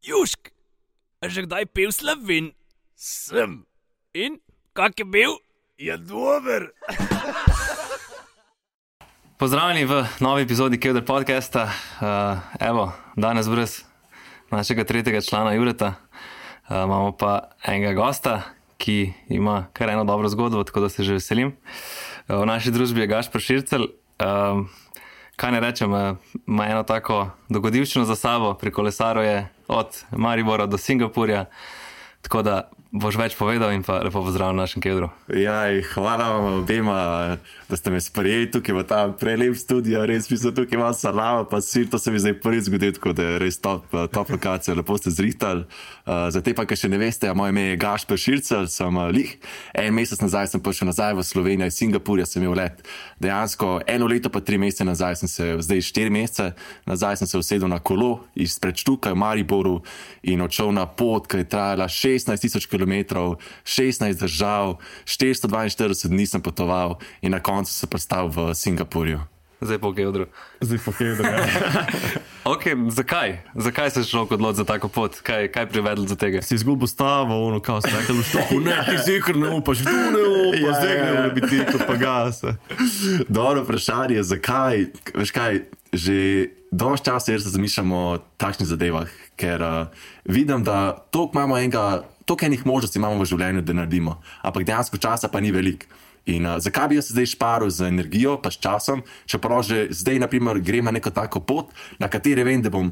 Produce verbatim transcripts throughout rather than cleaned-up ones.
Južk, a že kdaj pil Slovin? Sem. In kak je bil? Je dober. Pozdravljeni v novi epizodi Kevder podcasta. Uh, evo, danes brez našega tretjega člana Jureta uh, imamo pa enega gosta, ki ima kar eno dobro zgodbo, tako da se že veselim. Uh, v naši družbi je Gašper Šircelj. Uh, kaj ne rečem, uh, ima eno tako dogodivščino za sabo, pri kolesaru je od Maribora do Singapurja, tako da boš več povedal in pa lepo pozdravljam v našem Kevdru. Jaj, hvala vam obema, da ste me sprejeli tukaj v ta prelep studio, res mi so tukaj malo salama, pa sir, to se mi zdaj prvi zgodil, tako da je res top, top lokacija, lepo ste zrihtali. Uh, za te pa, ki še ne veste, moje ime je Gašper Šircelj, sem uh, lih. En mesec nazaj sem prišel nazaj v Slovenijo, iz Singapurja sem imel let. Dejansko eno leto pa tri mesece nazaj sem se, zdaj štiri mesece, nazaj sem se usedel na kolo izpred Štuka v Mariboru in odšel na pot, ki je trajala šestnajst tisoč kilometrov, šestnajst držav, štiristo dvainštirideset dni sem potoval in na koncu se prestal v Singapurju. Zdaj po Kevdru. Zdaj po Kevdru, ja. Ok, zakaj? Zakaj se človek odloči za tako pot? Kaj, kaj privedlo do tega? Si izgubil stavo, ono, kao se rekel, što, ne, ti zikr ne upaš, tu ne upaš, Ja, zdaj ja, ne ja. bi ti to pa gase. Dobro vprašanje, zakaj? Veš kaj, že dovolj časa jaz razmišljam o takšnih zadevah, ker uh, vidim, da toliko imamo enega, toliko enih možnosti imamo v življenju, da naredimo, ampak dejansko časa pa ni veliko. In uh, zakaj bi jaz zdaj šparil z energijo, pa s časom, čeprav že zdaj, naprimer, grem na neko tako pot, na kateri vem, da bom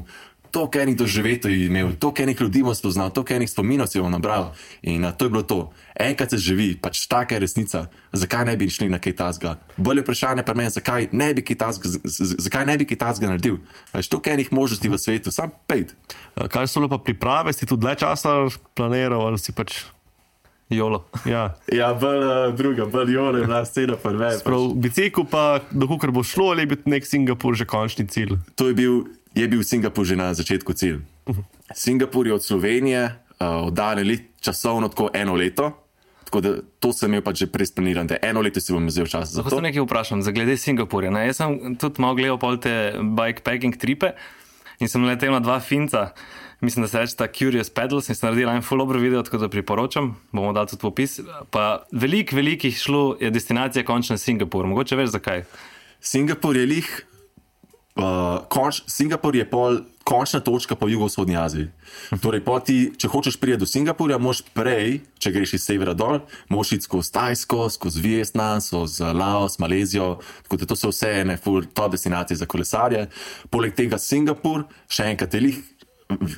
toliko enih doživetov imel, toliko enih ljudi bom spoznal, toliko enih spominov si bom nabral. In uh, to je bilo to. Enkrat se živi, pač taka je resnica. Zakaj ne bi šli na kaj tasga? Bolje vprašanje pa meni, zakaj ne bi kaj tasga, zakaj ne bi kaj tasga naredil? Pač toliko enih možnosti v svetu, sam pejt. Kaj so pa priprave, si tu dlje časa planiral ali si pač, Jolo. ja. Ja, bolj uh, druga, bolj jole, bila scena prve. Prav, bicikl pa, dokukar bo šlo, ali je bil nek Singapur že končni cilj? To je bil, je bil Singapur že na začetku cilj. Singapur je od Slovenije uh, oddaljen časovno tako eno leto, tako da to sem imel pač že presplanirano, da eno leto si bom vzel čas za Lahko to. se nekaj vprašam, za glede Singapurja. Ne? Jaz sem tudi malo gledal pol te bikepacking tripe in sem letel na dva finca, mislim, da se reče ta Curious Pedals, in sem naredil en full dobro video, tako da priporočam, bomo dali tudi popis. Pa veliko, velikih šlo je destinacija končna Singapur, mogoče veš zakaj? Singapur je lih, uh, konč, Singapur je pol končna točka po jugovzhodni Aziji. Torej, pol ti, če hočeš priti do Singapurja, moš prej, če greš iz severa dol, moš iti skozi Tajsko, skozi Vietnam, skozi Laos, Malezijo, tako da to so vse ene full top destinacije za kolesarje. Poleg tega Singapur, še enkrat je lih,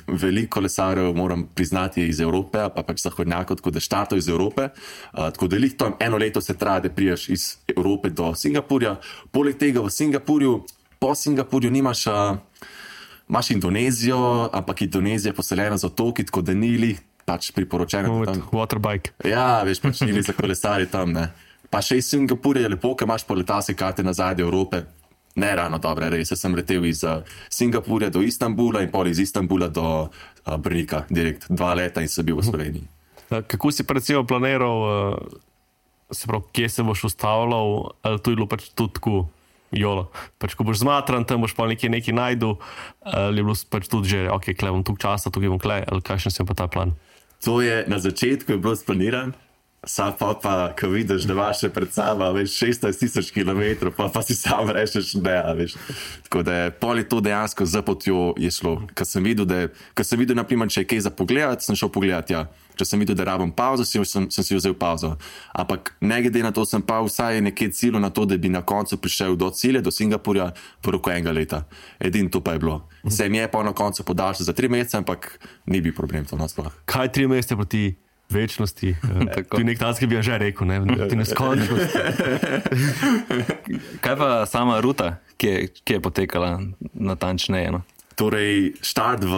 veliko kolesarjev, moram priznati, iz Evrope, pa pač zahodnjakov, tako da štartov iz Evrope. Uh, tako da lih tam eno leto se traja, da priješ iz Evrope do Singapurja. Poleg tega v Singapurju, po Singapurju nimaš, uh, imaš Indonezijo, ampak Indonezija je poseljena z otoki, tako da ni lih pač priporočeno. Tam, Waterbike. ja, veš, pač ni lih za kolesarje tam, ne. Pa še iz Singapurja je lepo, ker imaš po letalske karte nazaj do Evrope. Ne ravno dobre, res. Jaz sem letel iz uh, Singapurja do Istanbula in pol iz Istanbula do uh, Brnika, direkt dva leta in sem bil v Sloveniji. Kako si pa recimo planiral, uh, se pravi, kje se boš ustavljal, ali to je bilo pač tudi tako, jolo. Pač ko boš zmatran, tam boš pa nekje nekaj najdu, ali je bilo pač tudi že, ok, kle bom tuk časa, tukaj bom kle, ali kakšen sem pa ta plan? To je na začetku je bilo splaniran, sam pa pa, ko vidiš, da imaš še pred sabo, veš, šestnajst tisoč kilometrov, pa, pa si sam rečeš ne, veš. Tako da je pol je to dejansko za potjo je šlo. Ko sem videl, da, ko sem videl, naprimer, če je kaj za pogledati, sem šel pogledati, ja. Če sem videl, da rabim pauzo, sem, sem, sem si vzel pauzo. Ampak ne glede na to, sem pa vsaj nekaj ciljo na to, da bi na koncu prišel do cilja, do Singapurja, v roku enega leta. Edin to pa je bilo. Se mi je pa na koncu podaljšal za tri mesece, ampak ni bil problem to nasploh. Kaj tri mesece proti večnosti? To je nek tak, ki bi ja že rekel, ne, ti neskončnosti. Kaj pa sama ruta, ki je, ki je potekala natančneje? No? Torej, štart v,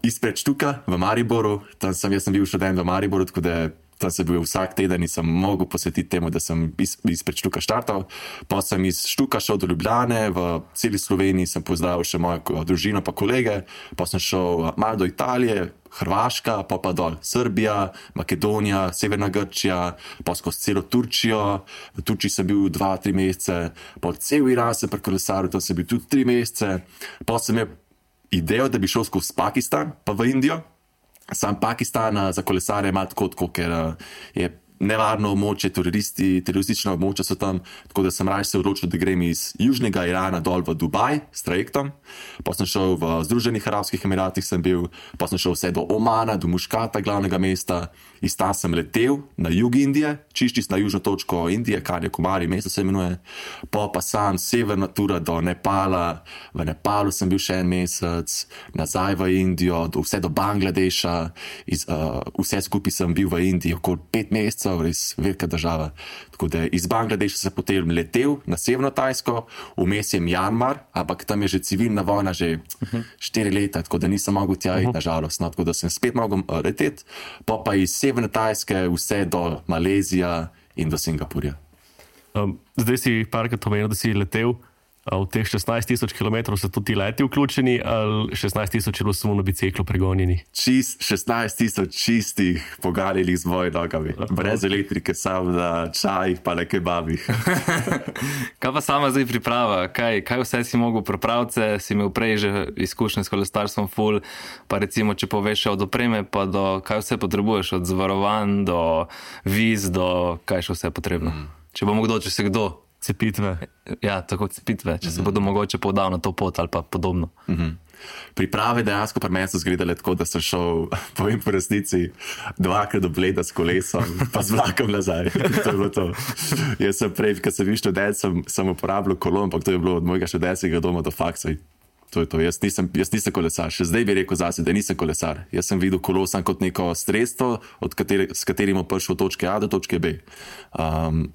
izpred Štuka v Mariboru, tam sem, jaz sem bil študent v Mariboru, tako da tam sem bil vsak teden in sem mogel posvetiti temu, da sem iz, izpred Štuka štartal. Pa sem iz Štuka šel do Ljubljane, v celi Sloveniji sem pozdravil še mojo družino pa kolege, pa sem šel malo do Italije, Hrvaška, pa pa dol Srbija, Makedonija, Severna Grčija, pa skozi celo Turčijo. V Turčiji sem bil dva, tri mesece, pa cel Iran sem prekolesaril, tam sem bil tudi tri mesece. Pa sem imel idejo, da bi šel skozi Pakistan, pa v Indijo, Sam Pakistan za kolesarje ima tako, tako ker uh, je nevarno območje, teroristi, teroristična območja so tam, tako da sem raje se odločil, da grem iz južnega Irana dol v Dubaj s trajektom, pa sem šel v Združenih arabskih emiratih, sem bil, pa sem šel vse do Omana, do Muškata, glavnega mesta, iz tam sem letel na jug Indije, čiščis na južno točko Indije, Kanjakumari mesto se imenuje, pa pa sam severna tura do Nepala, v Nepalu sem bil še en mesec, nazaj v Indijo, do, vse do Bangladeša, iz, uh, vse skupaj sem bil v Indiji okoli pet mesecev, res velika država. Tako da iz Bangladeša sem potem letel na severno Tajsko, vmes je Mjanmar, ampak tam je že civilna vojna že štiri leta, tako da nisem mogel tja iti, nažalost. No, tako da sem spet mogel uh, leteti, pa pa iz severne Tajske vse do Malezija in do Singapurja. Um, zdaj si parkrat omenil, da si letel. V teh šestnajst tisoč kilometrov so tudi leti vključeni, ali šestnajst tisoč je bilo samo na biciklu pregonjeni? Čist, šestnajst tisoč čistih pogaljenih z mojimi nogami, brez elektrike, samo na čajih pa na kebabih. Kaj pa sama zdaj priprava? Kaj, kaj vse si mogel pripraviti? Si imel prej že izkušnje s kolesarstvom full, pa recimo, če poveš od opreme, pa do kaj vse potrebuješ, od zavarovanj do viz, do kaj še vse potrebno. Mm. Če bo kdo, če se kdo. Cepitve. Ja, tako cepitve, če se bodo mogoče podal na to pot ali pa podobno. Mm-hmm. Priprave dejansko pri meni so izgledale tako, da sem šel, povem po resnici, dvakrat do Bleda s kolesom, pa z vlakom nazaj. To je bilo to. Jaz sem prej, ko sem bil študent, sem, sem uporabljal kolo, ampak to je bilo od mojega študentskega doma do faksa. To je to. Jaz nisem, jaz nisem kolesar. Še zdaj bi rekel zase, da nisem kolesar. Jaz sem videl kolo sam kot neko sredstvo, od katere, s katerim bom prišel od točke A do točke B. Um,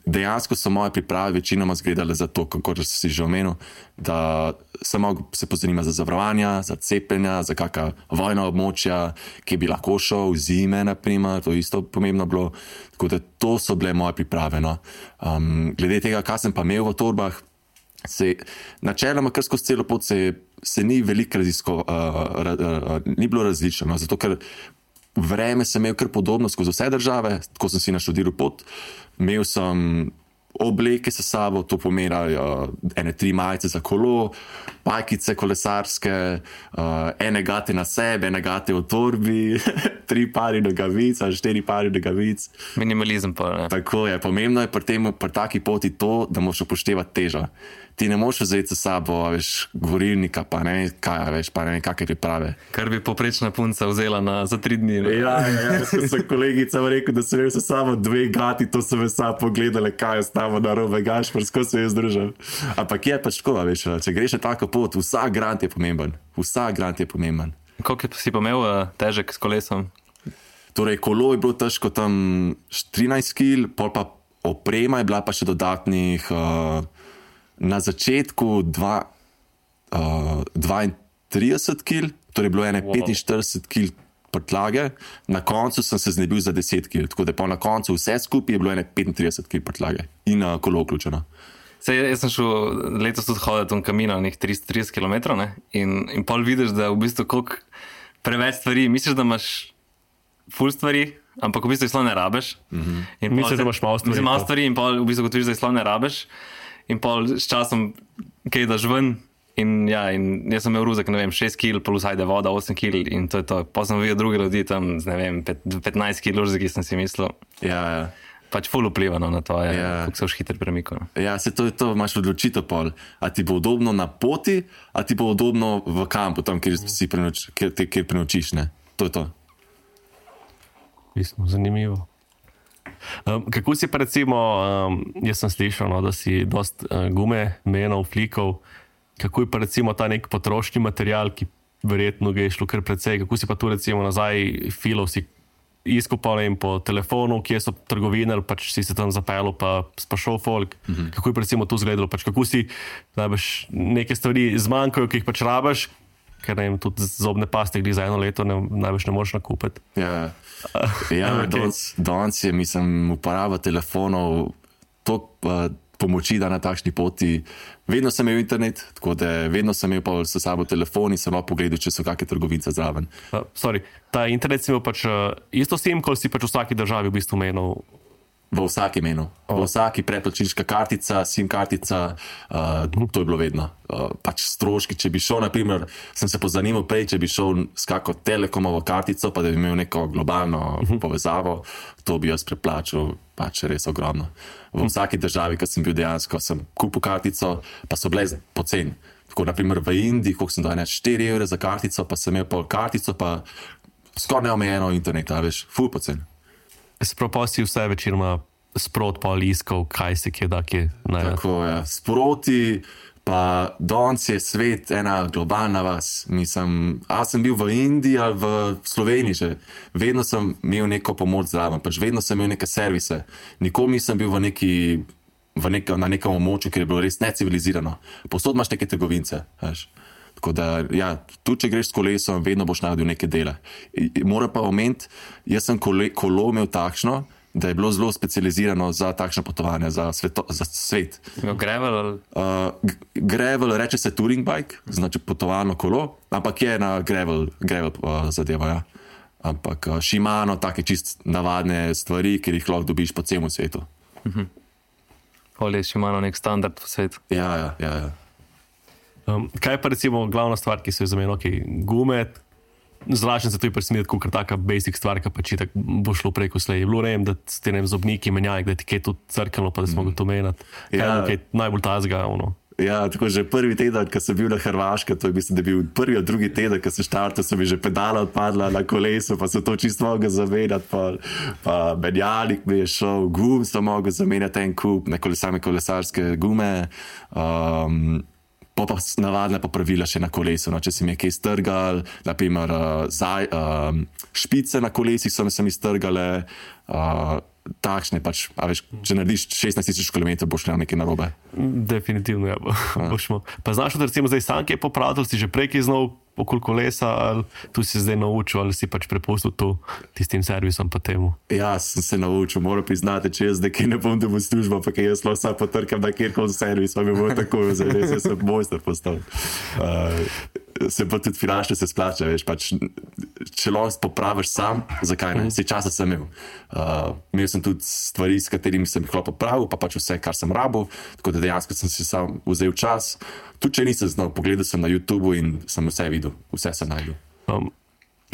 Dejansko so moje priprave večinoma zgledale za to, kako si že omenil, da sem mogel se pozanimati za zavarovanja, za cepljenja, za kakšna vojna območja, ki bi lahko šel, zime, naprimer, to je isto pomembno bilo. Tako da to so bile moje priprave. No. Um, glede tega, kaj sem pa imel v torbah, se načeloma kar skozi celo pot se, se ni veliko raziskov, uh, ra, uh, ni bilo različno, no, zato ker vreme sem imel kar podobno skozi vse države, tako sem si naštudiral pot. Imel sem obleke s sabo, to pomeni uh, ene tri majice za kolo, pajkice kolesarske, uh, ene gate na sebe, ene gate v torbi, tri pari nogavic, ali štiri pari nogavic. Minimalizem pa, ne? Tako je, pomembno je pri tem, pri taki poti to, da moraš upoštevati težo. Ti ne moš vzeti s sabo, veš, gorilnika, pa ne, kaj, veš, pa ne, kakve priprave. Kar bi poprečna punca vzela na, za tri dni. Ne? Ja, ja, ja, sem kolegica rekel, da sem imel samo dve gati, to so me samo pogledali, kaj je stavo na robe gaš, prsko se je združil. Ampak je pač tako, veš, če greš na tako pot, vsak grant je pomemben. Vsak grant je pomemben. Koliko si pa imel težek s kolesom? Torej, kolo je bilo težko tam trinajst kil, pol pa oprema je bila pa še dodatnih... Uh, Na začetku dva, uh, dvaintrideset kil, torej bilo ene wow. petinštirideset kil prtljage, na koncu sem se znebil za deset kil, tako da pa na koncu vse skupaj je bilo ene petintrideset kil prtljage in uh, kolo vključeno. Sej, jaz sem šel letos tudi hoditi v Camino, nekaj tristo trideset kilometrov, ne? In, in pol vidiš, da v bistvu koliko preveč stvari, misliš, da imaš ful stvari, ampak v bistvu jih sploh ne rabeš. Mm-hmm. Misliš, da imaš malo stvari. Mislim, malo stvari in pol v bistvu gotoviš, da jih sploh ne rabeš. In pol s časom kaj daš ven in ja, in jaz sem imel ruzak, ne vem, šest kil plus ajde voda, osem kil in to je to. Pa sem videl druge ljudi tam, ne vem, petnajst kil ruzak, ki sem si mislil. Ja, ja. Pač ful vplivano na to, je, ja. kako se už hitro premiko. No. Ja, se to je to, imaš odločitev pol. A ti bo udobno na poti, a ti bo udobno v kampu, tam, kjer si prenoč, kjer, kjer prenočiš, ne? To je to. Mislim, zanimivo. Um, kako si pa recimo, um, jaz sem slišal, no, da si dost uh, gume menil, flikov, kako je pa recimo ta nek potrošni material, ki verjetno ga je šlo kar precej, kako si pa tu recimo nazaj filov si izkopal in po telefonu, kje so trgovine, pač si se tam zapeljal pa spašal folk, mm-hmm. kako je pa recimo tu zgledalo, pač kako si najbrž neke stvari zmanjkajo, ki jih pač rabaš, ker ne vem, tudi zobne paste, ki za eno leto ne, največ ne moreš nakupiti. Ja, ja okay. Danes je, mislim, uporaba telefonov toliko uh, pomoči, da na takšni poti. Vedno sem imel internet, tako da vedno sem imel pa s sabo telefon in sem lahko pogledal, če so kakšne trgovince zraven. Uh, sorry, ta internet si imel pač uh, isto sim, kot si pač v vsaki državi v bistvu menil. V vsaki menu, v vsaki predplačniška kartica, SIM kartica, uh, to je bilo vedno. Uh, pač stroški, če bi šel, naprimer, sem se pozanimal prej, če bi šel s kako telekomovo kartico, pa da bi imel neko globalno povezavo, to bi jaz preplačal, pač res ogromno. V vsaki državi, ki sem bil dejansko, sem kupil kartico, pa so bile poceni. Tako, naprimer v Indiji, koliko sem dal, ne, štiri evre za kartico, pa sem imel pol kartico, pa skoraj neomejeno internet, a veš, ful poceni. Se pravi, si vse večinoma sprot pa iskal, kaj se kje da, kje najde. Tako je, sproti, pa danes je svet ena globalna vas. Mislim, a sem bil v Indiji ali v Sloveniji že, vedno sem imel neko pomoč zraven, pač vedno sem imel neke servise. Nikoli nisem bil v neki, v neka, na nekem območju, kjer je bilo res necivilizirano. Posod imaš neke trgovince, veš. Tako da, ja, tudi če greš s kolesom, vedno boš najdel neke dele. Moram pa omeniti, jaz sem kole, kolo imel takšno, da je bilo zelo specializirano za takšno potovanje, za, sveto, za svet. Gravel ali? Uh, gravel, reče se touring bike, znači potovalno kolo, ampak je na gravel, gravel uh, zadeva, ja. Ampak uh, Shimano, take čist navadne stvari, ker jih lahko dobiš po celem svetu. Mhm. Ali je Shimano nek standard v svetu? Ja, ja, ja, ja. Um, kaj pa recimo glavna stvar, ki se je za meni, ok, gume, zračen se to je presmeti, kot taka basic stvar, ki pač tak bo šlo preko slej. Je bilo rejem, da ste ne zobniki menjali, da ti kaj tudi crkalo, pa da smo ga to menjati. Kaj Ja. je kaj najbolj tazga, ono. Ja, tako že prvi teden, ko sem bil na Hrvaškem, to je mislim, da je bil prvi od drugi teden, ko sem štartal, so mi že pedala odpadla na kolesu, pa sem to čisto mogel zamenjati, pa, pa menjalnik mi je šel, gum sem mogel zamenjati en kup, ne same kolesarske gume, um, pa pa navadne popravila še na kolesu, no, če si mi je kaj strgal, naprimer uh, zaj, uh, špice na kolesih so mi se mi strgale, uh, takšne pač, a veš, če narediš šestnajst tisoč kilometrov, boš na nekaj narobe. Definitivno, ja. Bošmo. Pa znaš, da recimo zdaj sanke popravil, si že prej kaj znal okoli kolesa, ali tu si zdaj naučil, ali si pač prepustil to tistim servisom pa temu? Ja, sem se naučil, moram priznati, če jaz nekaj ne bom dobil službo, pa kaj jaz lahko sam potrkam na kjerkoli servis, pa mi bo tako, zdaj res jaz sem mojster postal. Uh, se pa tudi finančno se splača, veš, pač, če lahko popraviš sam, zakaj ne? Vse časa sem imel. Uh, imel sem tudi stvari, s katerimi sem jih lahko popravil, pa pač vse, kar sem rabil, tako da dejansko sem si sam vzel čas. Tudi če nisem znal, pogledal sem na YouTubu in sem vse videl, vse sem najdel. Um,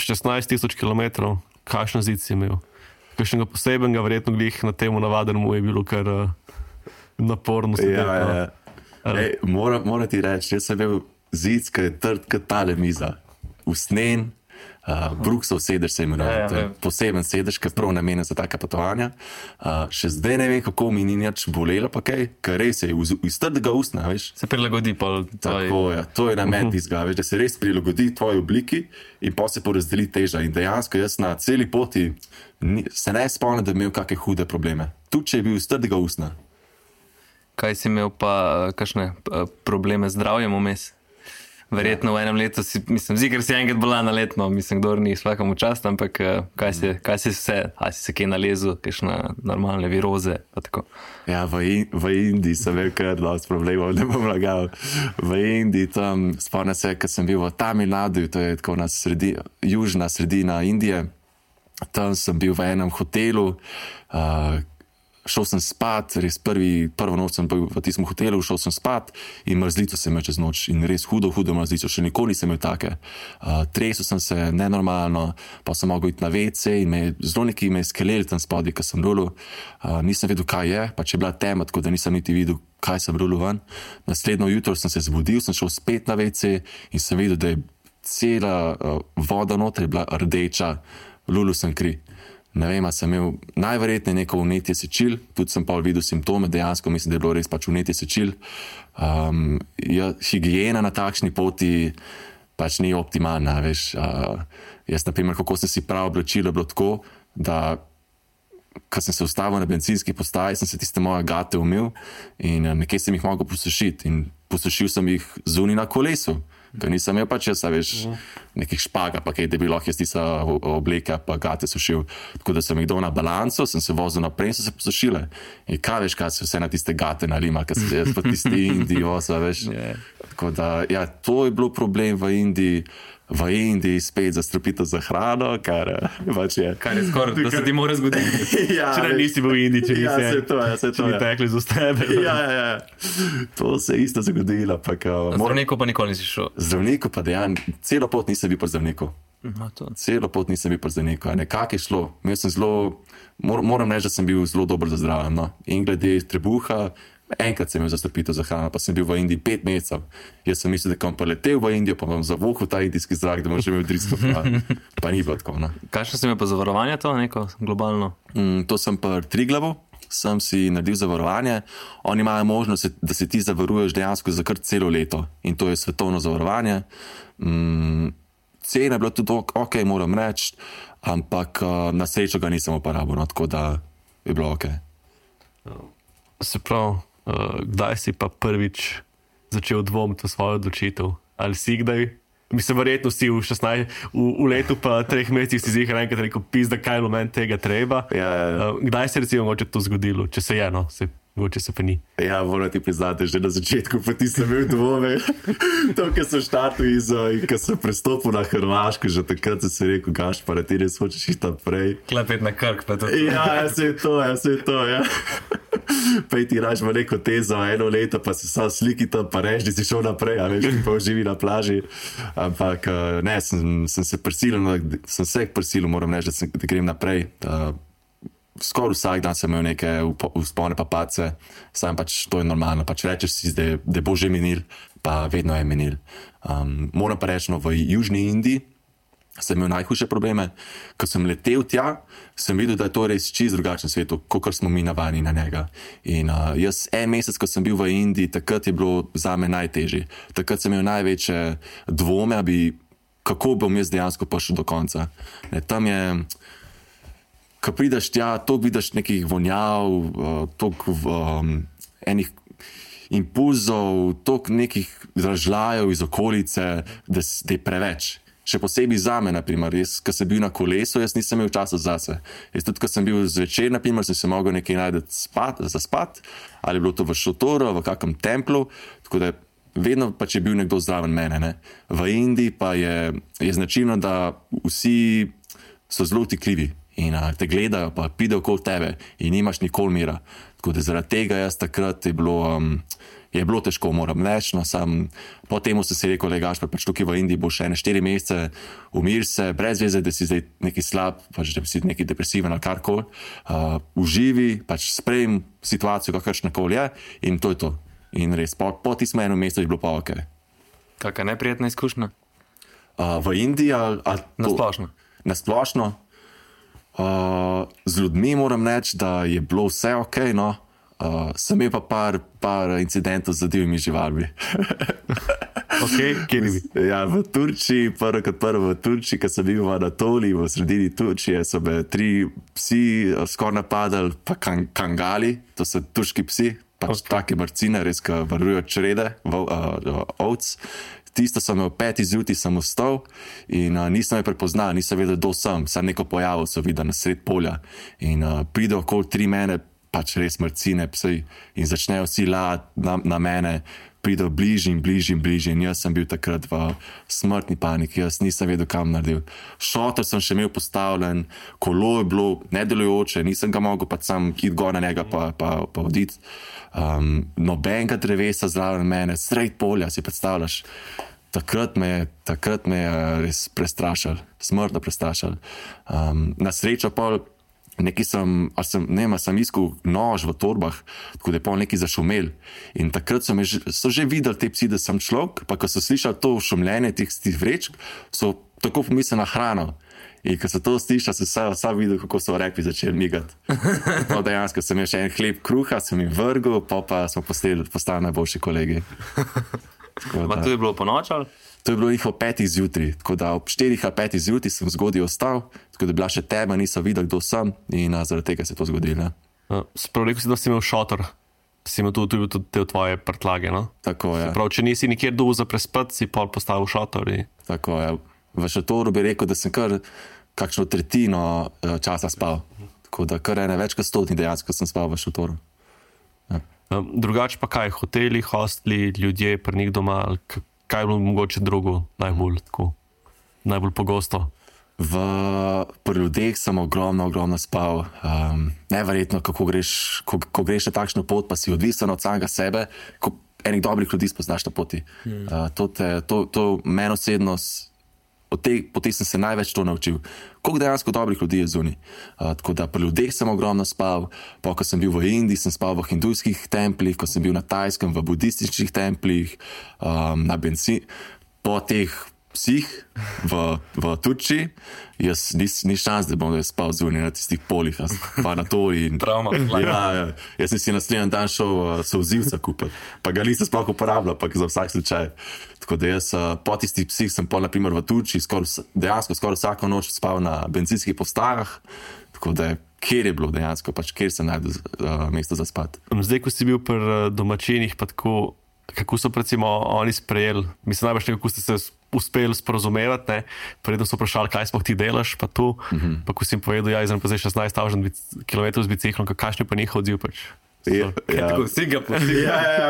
šestnajst tisoč kilometrov, kakšen zid si imel? Kakšnega posebenega, verjetno glih na temu navadenemu je bilo kar uh, naporno. Ja, ja. Ej, moram, moram ti reči, jaz sem imel zid, ki je trd kot tale miza, usnen, uh, Brooksov sedež se imenuje, Ja, ja, to je ja. poseben sedež, ki je prav namenjen za taka potovanja. Uh, še zdaj ne vem, kako mi ni nič bolelo, pa kaj, ker res je iz, iz trdega usna, veš. Se prilagodi pa Tako je, to je namen tistega, veš, da se res prilagodi tvoji obliki in pa se porazdeli teža. In dejansko jaz na celi poti ni, se ne spomnim, da bi imel kakšne hude probleme. Tudi če je bil iz trdega usna. Kaj si imel pa, kakšne eh, probleme z zdravjem vmes? Verjetno v enem letu si, mislim, zigar si enkrat bolan na letno, mislim, kdor ni svakemu čast, ampak eh, kaj si, kaj si vse, a si se kaj nalezil, kakšne normalne viroze, pa tako. Ja, v, In v Indiji sem imel kar dosti problemov, ne bom lagal. V Indiji tam, spomnim se, ko sem bil v Tamil Nadu, to je tako na sredi, južna sredina Indije, tam sem bil v enem hotelu, uh, šel sem spat, res prvi, prvo noč sem bil v tistem hotelu, šel sem spat in mrzlico sem imel čez noč in res hudo, hudo mrzlico, še nikoli nisem imel take. Uh, tresel sem se nenormalno, pa sem mogel iti na ve ce in me, zelo neki me skeleli tam spodaj, ko sem rulil. Uh, nisem vedel, kaj je, pa če je bila tema, tako da nisem niti videl, kaj sem rulil ven. Naslednjo jutro sem se zbudil, sem šel spet na ve ce in sem videl, da je cela uh, voda noter je bila rdeča, rulil sem kri. Ne vem, a sem imel najverjetneje neko vnetje sečil, tudi sem pa videl simptome, dejansko mislim, da je bilo res pač vnetje sečil. Um, ja, higiena na takšni poti pač ni optimalna, veš. Uh, jaz, na primer, kako sem si prav oblačil, je bilo tako, da ko sem se ustavil na bencinski postaji, sem se tiste moje gate umil in uh, nekje sem jih mogel posušiti in posušil sem jih zunaj na kolesu. Ker nisem imel pač jaz, veš, nekih špaga, pa kaj, da bi lahko jaz tista obleka, pa gate sušil. Tako da sem jih dal na balanco, sem se vozil naprej in so se posušile. In kaj veš, kaj se vse na tiste gate nalima, ker se jaz pa tisti Indiji voza, veš. Yeah. Tako da, ja, to je bilo problem v Indiji. v Indiji spet zastrupitev za hrano, kar, pač je. Kar je skoraj, da se ti mora zgoditi. Ja, Če ne nisi bil v Indiji, če nisi, ja, se to, ja, se če to. bi Ja. tekli z ustebe. Ja, ja, ja. To se je isto zgodilo. Pa, kao, mora, Zdravniku pa nikoli nisi šel. zdravniku pa dejansko, celo pot nisem bil pri zdravniku. No, to. Celo pot nisem bil pri zdravniku. Nekako je šlo. Imel sem zelo, mor, moram reči, da sem bil zelo dober za zdravje. No. In glede trebuha, enkrat sem imel zastrupitev za hrano, pa sem bil v Indiji pet mesecev. Jaz sem mislil, da bom pa letel v Indijo, pa bom zavohal ta indijski zrak, da bom že imel drisko. Pa, pa ni bilo tako. No. Kakšno si imel pa zavarovanje to, neko globalno? Mm, to sem pri Triglavu, sem si naredil zavarovanje. Oni imajo možnost, da se ti zavaruješ dejansko za kar celo leto in to je svetovno zavarovanje. Mm, cena je bila tudi ok, moram reči, ampak uh, na srečo ga nisem uporabil, no, tako da je bilo ok. Se pravi, uh, kdaj si pa prvič začel dvomiti v svojo odločitev? Ali si kdaj? Mislim, verjetno si v, šestnajst, v, v letu pa treh mesecih si zihar enkrat rekel, pizda, kaj je meni tega treba. Ja, ja, ja. Uh, kdaj se recimo mogoče to zgodilo, če se je, no, se, mogoče se pa ni. Ja, moram ti priznati, že na začetku pa ti sem imel dvome. To, kar sem štartil iz, in ko sem prestopil na Hrvaško, že takrat sem si rekel, gaš, pa ti res hočeš iti naprej. Klepet na Krk pa to. Ja, ja, se je to, ja, se je to, ja. Pa ti raš v neko tezo, eno leto, pa si sam sliki tam, pa reči, da si šel naprej, a veš, ti pa živi na plaži. Ampak ne, sem, sem se prisilil, sem se prisilil, moram reči, da, sem, da grem naprej. Uh, Skoraj vsak dan sem imel neke vzpone pa pace, sam pač to je normalno, pač rečeš si, da, da bo že minil, pa vedno je minil. Um, moram pa reči, no, v Južni Indiji sem imel najhujše probleme. Ko sem letel tja, sem videl, da je to res čisto drugačen svet, kot smo mi navadni na njega. In uh, jaz en mesec, ko sem bil v Indiji, takrat je bilo za me najtežje. Takrat sem imel največje dvome, bi, kako bom jaz dejansko prišel do konca. Ne, tam je, ko prideš tja, toliko vidiš nekih vonjav, uh, toliko um, enih impulzov, toliko nekih dražljajev iz okolice, da, da je preveč. Še posebej za me, naprimer, jaz, ko sem bil na kolesu, jaz nisem imel časa zase. Jaz tudi, ko sem bil zvečer, naprimer, sem se mogel nekaj najti spat, za spat, ali je bilo to v šotoru, v kakem templu, tako da vedno pač je bil nekdo zraven mene. Ne? V Indiji pa je, je značilno, da vsi so zelo tikljivi in a, te gledajo, pa pidejo okoli tebe in nimaš nikoli mira. Tako da zaradi tega jaz takrat je bilo... Um, Je bilo težko, moram reči, no, sam po temu sem si rekel, legaš, pa pač tukaj v Indiji bo še ene štiri mesece, umir se, brez veze, da si zdaj neki slab, pač da si neki depresiven ali karkoli, uh, uživi, pač sprejem situacijo, kakršna koli je in to je to. In res, po, po tistem enem mesecu je bilo pa ok. Kakšna neprijetna izkušnja? Uh, v Indiji ali... ali to, Nasplošno. Nasplošno. Uh, z ljudmi moram reči, da je bilo vse ok, no. Uh, sem imel pa par, par incidentov z divjimi živalmi. Ok, kje ni bi? Ja, v Turčiji, prvo kot prvo v Turčiji, ko sem bil v Anatoliji, v sredini Turčije, so me tri psi skoraj napadali, pa kan, kangali, to so turški psi, pač okay. Take marcine, res, ki varujejo črede, uh, uh, ovc. Tisto sem imel peti zjutraj, sem vstal in uh, nisem me prepoznal, nisem vedel, kdo sem, sem neko pojavil, so videl na sred polja in uh, pride okoli tri mene, pač res mrcine psi in začnejo vsi lati na, na mene, pridejo bližje in bližje in bližje in jaz sem bil takrat v smrtni paniki, jaz nisem vedel, kam naredil. Šotor sem še imel postavljen, kolo je bilo nedelujoče, nisem ga mogel pa sam iti gor na njega pa, pa, pa oditi. Um, nobenega drevesa zraven mene, sred polja, si predstavljaš. Takrat me, takrat me je res prestrašal, smrtno prestrašal. Um, na srečo pa Nekaj sem, sem, ne vem, sem iskal nož v torbah, tako da je pol nekaj zašumel. In takrat so, me, so že videli te psi, da sem človek, pa ko so slišali to šumljenje teh, teh vrečk, so tako pomislili na hrano. In ko so to slišali, so sam, sam videl, kako so repi začeli migati. No, dejansko sem imel še en hleb kruha, sem jim vrgel, pa pa smo postali, postali najboljši kolegi. Pa to je bilo po noč ali? To je bilo njih ob petih zjutraj, tako da ob štirih ali petih zjutraj sem zgodaj ostal, tako da je bila še tema, nisem videl, kdo sem in a, zaradi tega se je to zgodilo. Sprav rekel si, da si imel šotor, si imel tudi, tudi te tvoje prtlage, no? Tako je. Prav, če nisi nikjer dol za prespati, si pol postavil šotor. In... Tako je. V šotoru bi rekel, da sem kar kakšno tretjino časa spal, tako da kar ene več kot stotni dejansko sem spal v šotoru. Ja. Drugače pa kaj, hoteli, hostli, ljudje, pri njih doma, kaj je bilo mogoče drugo najbolj tako? najbolj pogosto? V, pri ljudeh sem ogromno, ogromno spal. Um, neverjetno, kako greš, ko, ko greš na takšno pot, pa si odvisen od samega sebe, ko enih dobrih ljudi spoznaš na poti. Hmm. Uh, to te, to, to meni osebno, od te poti sem se največ to naučil. Koliko dejansko dobrih ljudi je zunaj. Uh, tako da pri ljudeh sem ogromno spal, pa ko sem bil v Indiji, sem spal v hindujskih templih, ko sem bil na Tajskem v budističnih templih, um, na benzin, po teh psih v, v Turčiji, jaz ni, ni šans, da bom spal zunaj na tistih polih, pa na tori. Travma. Ja, ja. Jaz sem si naslednji dan šel uh, solzivca kupiti, pa ga nisem sploh uporabljal, pa za vsak slučaj. Tako da jaz uh, po tistih psih sem pol, naprimer v Turčiji, skor, dejansko skoraj vsako noč spal na bencinskih postajah, tako da kjer je bilo dejansko, pač kjer se najde uh, mesto za spat. Zdaj, ko si bil pri uh, domačinih, pa tako, kako so recimo oni sprejeli, mislim najbolj, kako ste se uspeli sporozumevati, ne? Predno so vprašali, kaj sploh ti delaš, pa tu, mm-hmm. pa ko si jim povedal, ja, izram pa zdaj šestnajst tisoč kilometrov z biciklom, kakšen je pa njihov odziv pač? Ja, ja. Tako si ga poslil. Ja, ja.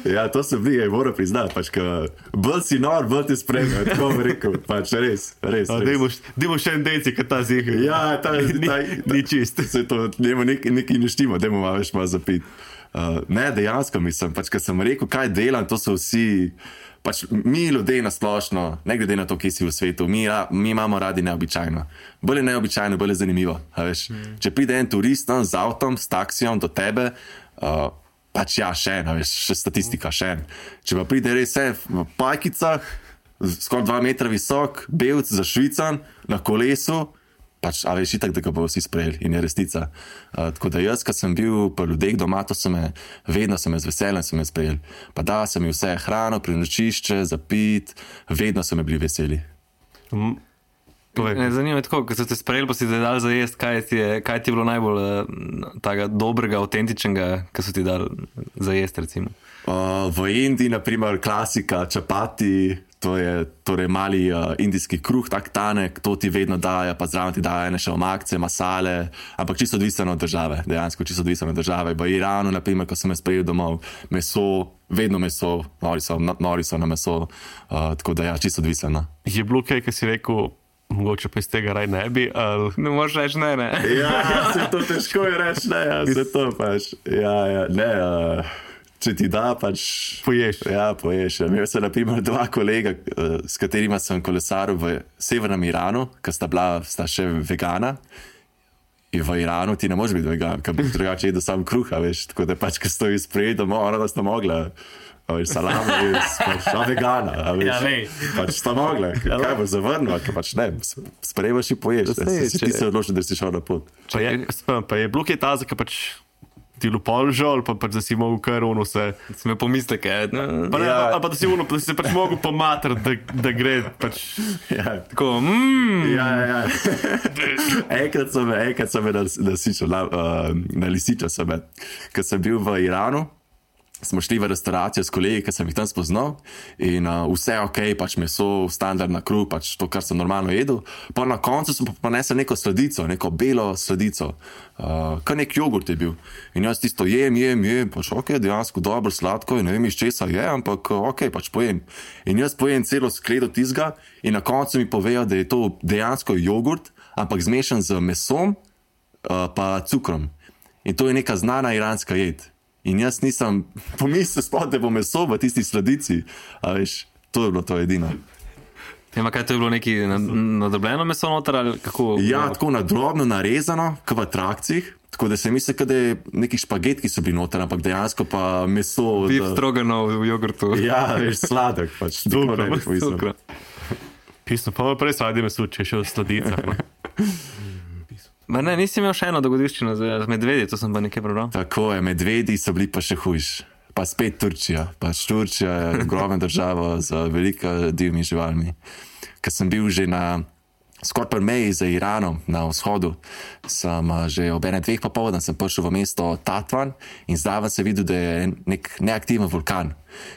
Ja, to sem bil, moram priznati, pač, ka bolj si nor, bolj ti spremljajo, tako bi rekel, pač res, res. A, res. Dajmo še en deci, kad ta zih. Ja, ta, ta, ni, ta, ni čist. Se to, njemu nekaj nek ne štimo, dajmo malo več malo zapiti. Uh, ne, dejansko mislim, pač, kad sem rekel, kaj delam, to so vsi, pač mi ljudje nasplošno, ne glede na to, kje si v svetu, mi, mi imamo radi neobičajno. Bolj je neobičajno, bolj je zanimivo. Veš? Mm. Če pride en turist z avtom, s taksijem do tebe, uh, pač ja, še en, veš, še statistika, še en. Če pa pride res v pajkicah, skoraj dva metra visok, belc za švican, na kolesu, pač, a veš, itak, da ga bo vsi sprejeli in je resnica. Uh, tako da jaz, ko sem bil pri ljudeh doma, to so me, vedno so me z veseljem so me sprejeli. Pa da, sem jim vse hrano, prenočišče, zapit, vedno so me bili veseli. Mm. Ne, zanima me tako, ko so te sprejeli, pa si te dali za jest, kaj ti je, kaj ti je bilo najbolj uh, taga dobrega, autentičnega, ko so ti dali za jest, recimo? Uh, v Indiji, naprimer, klasika, čapati, to je torej mali uh, indijski kruh, tak tanek, to ti vedno daje, pa zraven ti daje še omakce, masale, ampak čisto odvisno od države, dejansko čisto odvisno od države. V Iranu, naprimer, ko sem me sprejel domov, meso, vedno meso, nori so, nori so na meso, uh, tako da ja, čisto odvisno. Je bilo kaj, ki si rekel, mogoče pa iz tega raj ne bi, ali... Ne moraš reči ne, ne. Ja, se to težko je reči, ne, ja, se to pač, ja, ja, ne, uh, če ti da, pač... Poješ. Ja, poješ. Imel sem, naprimer, dva kolega, uh, s katerima sem kolesaril v severnem Iranu, ki sta bila, sta še vegana. In v Iranu ti ne moreš biti vegan, ker bi drugače jedel sam kruha, veš, tako da pač, ko stoji spred doma, ona da sta mogla... Salama je pač vegana, a veš, ja, pač sta mogla, kaj bo zavrnila, ker pač ne, sprejemaš in poješ, ne, si ti se odločil, da si šel na pot. Pa je, pa je bilo kaj taza, ker pač ti lupol žal, pa pač da si mogel kar ono vse. Si me pomisleke, ne? Pa ne, Ja. pa, pa da si ono, da si se pač mogel pomatrati, da, da gre pač... Ja. Tako, mmm, Ja, ja, ja. enkrat sem me, enkrat sem me nasičal, na, uh, na lisiča sem me, ker sem bil v Iranu, smo šli v restauracijo s kolegi, ki sem jih tam spoznal in uh, vse ok, pač meso, standardna kruh, pač to, kar sem normalno jedel. Pa na koncu sem pa ponesel neko sladico, neko belo sladico, uh, kar nek jogurt je bil. In jaz tisto jem, jem, jem, pač ok, dejansko dobro, sladko in ne vem iz česa je, ampak ok, pač pojem. In jaz pojem celo skledo tizga in na koncu mi povejo, da je to dejansko jogurt, ampak zmešan z mesom uh, pa cukrom. In to je neka znana iranska jed. In jaz nisem pomislil sploh, da bo meso v tisti sladici. A veš, to je bilo to edino. Ja, kaj to je bilo neki nadrobljeno meso noter ali kako? Ja, tako na drobno narezano, kot v trakcih. Tako da se misli, da je neki špaget, ki so bili noter, ampak dejansko pa meso. Beef da... strogano v jogurtu. Ja, veš, sladek pač. Dobro, Cukra. Pisno, pa prej sadi meso, če še v sladicah. Ma ne, nisi imel še eno dogodivščino z medvedi, to sem pa nekaj prebral. Tako je, medvedi so bili pa še hujši. Pa spet Turčija. Pač Turčija je ogromna država z veliko divjimi živalmi. Ker sem bil že na skoraj pri meji z Iranom na vzhodu, sem že ob ene dveh popoldan sem prišel v mesto Tatvan in zraven sem videl, da je nek neaktiven vulkan.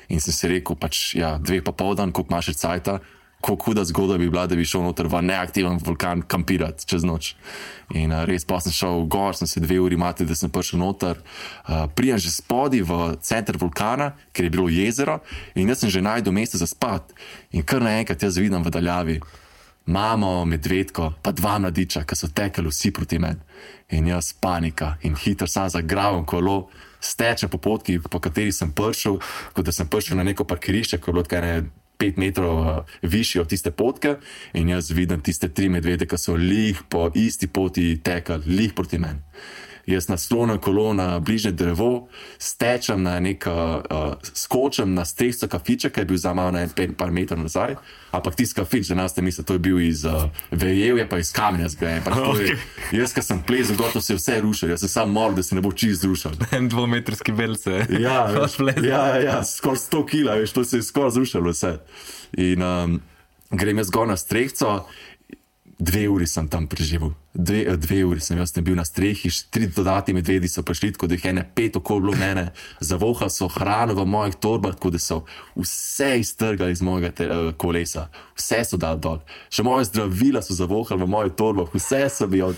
In sem si rekel, pač ja, dveh popoldan, koliko imaš cajta, kako huda zgodba bi bila, da bi šel noter v neaktiven vulkan kampirati čez noč. In uh, res pa sem šel gor, sem se dve uri mati, da sem prišel noter. Uh, Prijem že spodi v center vulkana, ker je bilo jezero in jaz sem že najdel mesto za spat. In kar naenkrat jaz vidim v daljavi mamo, medvedko, pa dva mladiča, ki so tekali vsi proti meni. In jaz panika in hitro sam zagravam kolo, stečem po potki, po kateri sem prišel, kot da sem prišel na neko parkirišče, ko je bilo tkaj ne pet metrov uh, višji od tiste potke in jaz vidim tiste tri medvede, ki so lih po isti poti tekali, lih proti meni. Jaz naslonim kolo na bližnje drevo, stečem na nek, uh, skočem na strehco kafiča, ki je bil za malo na en par metrov nazaj, ampak tisti kafič, da nas te misli, to je bil iz uh, vejevja, pa iz kamenja zgrajen. Okay. Jaz, ki sem plezal, gotovo se je vse rušil, jaz sem sam moral, da se ne bo čist zrušil. En dvometrski belce. Ja, ja, ja, skoraj sto kila, veš, to se je skoraj zrušilo vse. In um, grem jaz gor na strehco, dve uri sem tam preživel. Dve, dve uri sem jaz bil na strehi, tri dodatni medvedi so prišli, tako da jih ene pet okolo mene, zavohali so hrano v mojih torbah, tako da so vse iztrgali iz mojega te, uh, kolesa, vse so dali dol. Še moje zdravila so zavohali v mojih torbah, vse so bi od,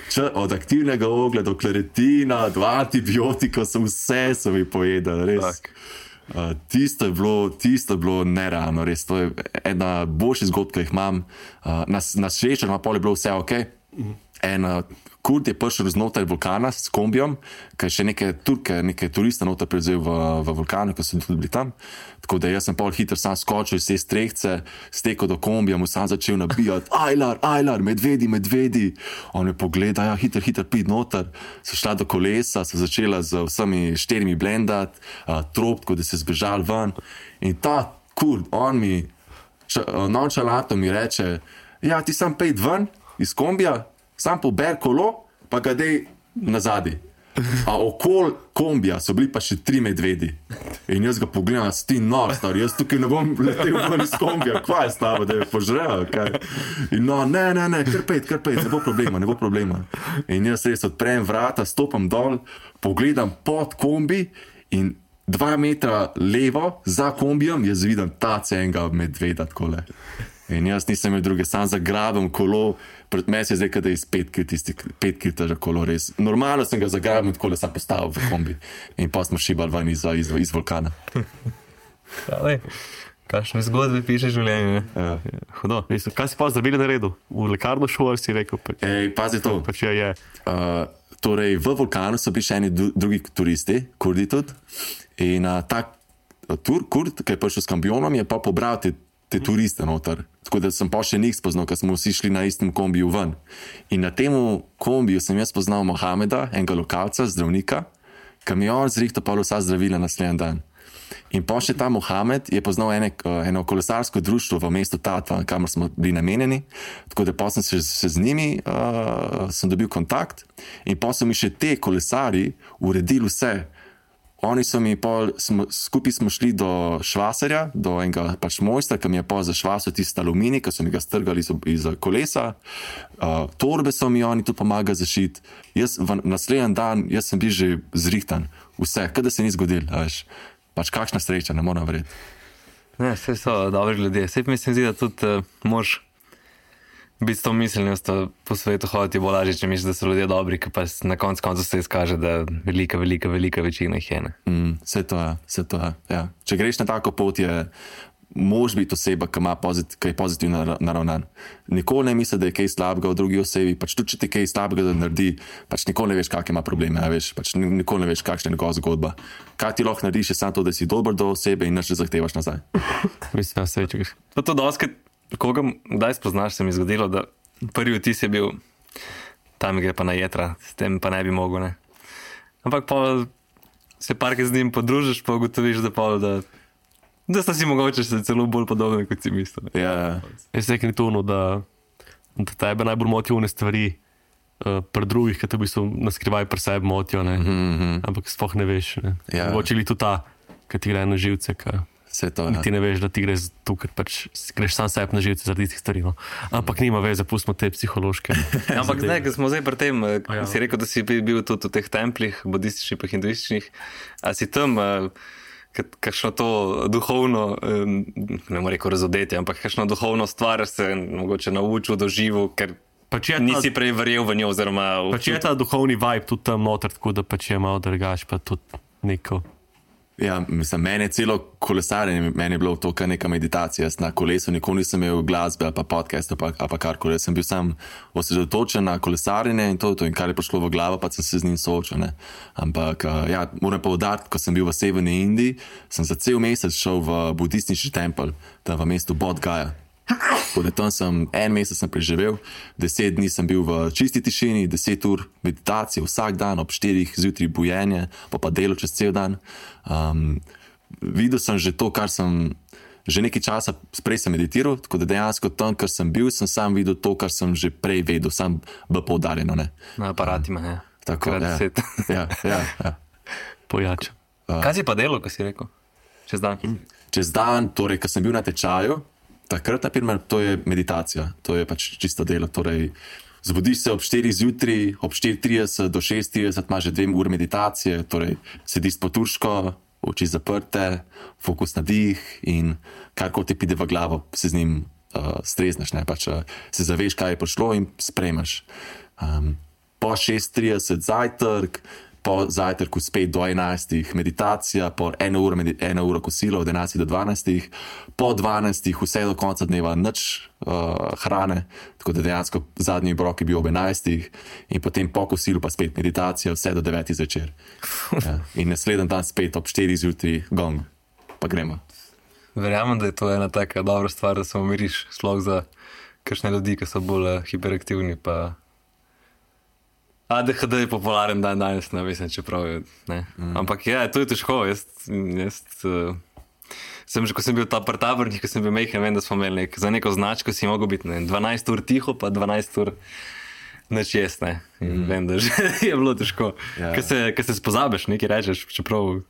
č, od aktivnega oglja do kleretina, do antibiotikov, so vse so mi pojedali, res. Tak. Uh, tisto, je bilo, tisto je bilo nerealno, res. To je ena boljših zgodb, ki jih imam. Uh, na na srečo, na pol je bilo vse ok. En uh, kurd je prišel znotraj vulkana s kombijom, ker je še neke Turke, neke turiste noter prevzel v, v vulkanu, ki so tudi bili tam. Tako da jaz sem pol hitro sam skočil iz te strehce, stekel do kombija, mu sam začel nabijati, ajlar, ajlar, medvedi, medvedi. On me pogleda, ja, hitro, hitro pid noter. So šla do kolesa, so začela z vsemi štirimi blendati, uh, trop, tako da se zbežal ven. In ta kurd, on mi, nonchalanto mi reče, ja, ti sam pejt ven iz kombija, sam pober kolo, pa ga dej nazadi. A okol kombija so bili pa še tri medvedi. In jaz ga pogledam, s ti nor, star, jaz tukaj ne bom letel ven iz kombija, kva je stava, da je požrejo, kaj? In no, ne, ne, ne, kar pejt, kar pejt, ne bo problema, ne bo problema. In jaz res odprem vrata, stopam dol, pogledam pod kombi in dva metra levo za kombijem, jaz vidim ta cenga medveda takole. In jaz nisem imel druge, sam zagrabim kolo, pred meni se je zdaj, da je iz pet kil tisti, pet kil teža kolo, res. Normalno sem ga zagrabil, tako da sem postavil v kombi. In pa smo šibali ven iz, iz, iz vulkana. Hvala. Kakšne zgodbe piše življenje, ne? Ja. Hudo. Kaj si pa zdravili na redu? V lekarno šel, si rekel? Pač, Ej, pazi to. Pač je, je. Uh, torej, v vulkanu so bili še eni drugi turisti, kurdi tudi. In uh, ta tur, kurd, ki je prišel s kambionom, je pa pobral te te turiste noter. Tako da sem pa še njih spoznal, ker smo vsi šli na istem kombiju ven. In na temu kombiju sem jaz spoznal Mohameda, enega lokalca, zdravnika, ki mi je on zrihtal pa vsa zdravila naslednji dan. In pa še ta Mohamed je poznal ene, eno kolesarsko društvo v mestu Tatva, kamor smo bili namenjeni. Tako da pa sem se, se z njimi uh, sem dobil kontakt in pa so mi še te kolesari uredili vse. Oni so mi pol, smo, skupaj smo šli do švaserja, do enega pač mojstra, ki mi je pol zašvasil tisti aluminij, ki so mi ga strgali iz, iz kolesa. Uh, torbe so mi oni tudi pomagali zašiti. Jaz v naslednji dan, jaz sem bil že zrihtan. Vse, kaj da se ni zgodil, veš. Pač kakšna sreča, ne moram verjeti. Ne, vse so dobri ljudje. Vse mislim, da tudi uh, moraš biti s to miselnostjo po svetu hoditi bolj lažje, če misliš, da so ljudje dobri, ki pa na koncu koncu se izkaže, da velika, velika, velika večina jih je. Mm, vse to je, vse to je, ja. Če greš na tako pot, je mož biti oseba, ki, pozit, ki je pozitivno naravnan. Nikoli ne misli, da je kaj slabega v drugi osebi, pač tudi če ti kaj slabega da naredi, pač nikoli ne veš, kakšne ima probleme, veš, pač nikoli ne veš, kakšna je njegova zgodba. Kaj ti lahko narediš, je samo to, da si dober do osebe in nič ne zahtevaš nazaj. Mislim, da se večeš. To je doskrat, koga kdaj spoznaš, se mi je zgodilo, da prvi vtis je bil, tam gre pa na jedra, s tem pa ne bi mogel, ne. Ampak pa se parkrat z njim podružiš, pa ugotoviš, da pa, da, da sta si mogoče se celo bolj podobne, kot si mislil. Ja. Jaz se nekaj tuno, da, da tebe najbolj motijo one stvari uh, pri drugih, ki te v bistvu naskrivaj pri sebi motijo, ne. Mm-hmm. Ampak sploh ne veš, ne. Ja. Mogoče li tudi ta, ki ti gre na živce, ki Vse to, ja. ti ne veš, da ti greš tu, ker pač greš sam sebi na živce zaradi tistih stvari. No. Ampak nima veze, pustimo te psihološke. Ampak zdaj, ko smo zdaj pri tem, ja. si rekel, da si bil tudi v teh templih, budističnih pa hinduističnih, a si tam uh, kakšno to duhovno, ne morem reči razodetje, ampak kakšno duhovno stvar se mogoče naučil, doživel, ker pač nisi prej verjel v njo. Oziroma, pač je ta duhovni vibe tudi tam noter, tako da pač je malo drugač, pa tudi neko. Ja, mislim, meni je celo kolesarjenje, meni je bilo to kar neka meditacija. Jaz na kolesu nikoli nisem imel glasbe ali pa podcast ali pa, pa karkoli. Jaz sem bil sam osredotočen na kolesarjenje in to, to in kar je prišlo v glavo, pa sem se z njim soočil. Ne. Ampak, ja, moram poudariti, ko sem bil v Severni Indiji, sem za cel mesec šel v budistični tempelj, tam v mestu Bodh Gaya. Tako da tam sem en mesec sem preživel, deset dni sem bil v čisti tišini, deset ur meditacije vsak dan, ob štirih zjutraj bujenje, pa pa delo čez cel dan. Um, videl sem že to, kar sem že nekaj časa prej sem meditiral, tako da dejansko tam, kar sem bil, sem sam videl to, kar sem že prej vedel, sam bo poudarjeno. Ne? Na aparatima, ne. Tako, ja. ja, ja, ja. Pojača. Uh. Kaj si pa delo, ko si rekel? Čez dan? Čez dan, torej, ko sem bil na tečaju, takrat, naprimer, to je meditacija, to je pač čisto delo. Torej, zbudiš se ob štirih zjutraj, ob štiri trideset do šest trideset imaš že dve uri meditacije, torej sediš poturško, oči zaprte, fokus na dih in karkoli ti pride v glavo, se z njim uh, strezneš, ne, pač uh, se zaveš, kaj je prišlo in sprejmeš. Um, po šest trideset zajtrk, po zajtrku spet do enajstih meditacija, po eno uro, eno uro kosilo od enajstih do dvanajstih, po dvanajstih vse do konca dneva nič uh, hrane, tako da dejansko zadnji obrok je bil ob enajstih in potem po kosilu pa spet meditacija vse do devetih zvečer. Ja. In naslednji dan spet ob štirih zjutraj gong, pa gremo. Verjamem, da je to ena taka dobra stvar, da se umiriš, sploh za kakšne ljudi, ki so bolj hiperaktivni, pa A D H D je popularen dan danes, ne vem, čeprav je, ne. Mm. Ampak ja, to je težko, jaz, jaz uh, sem že, ko sem bil ta prtabrnik, ko sem bil mejhen, vem, da smo imeli nek, za neko značko si mogel biti, ne, dvanajst ur tiho, pa dvanajst ur nič jest, ne. In mm. vem, da že je bilo težko. Yeah. Ker se, ker se spozabiš, nekaj rečeš, čeprav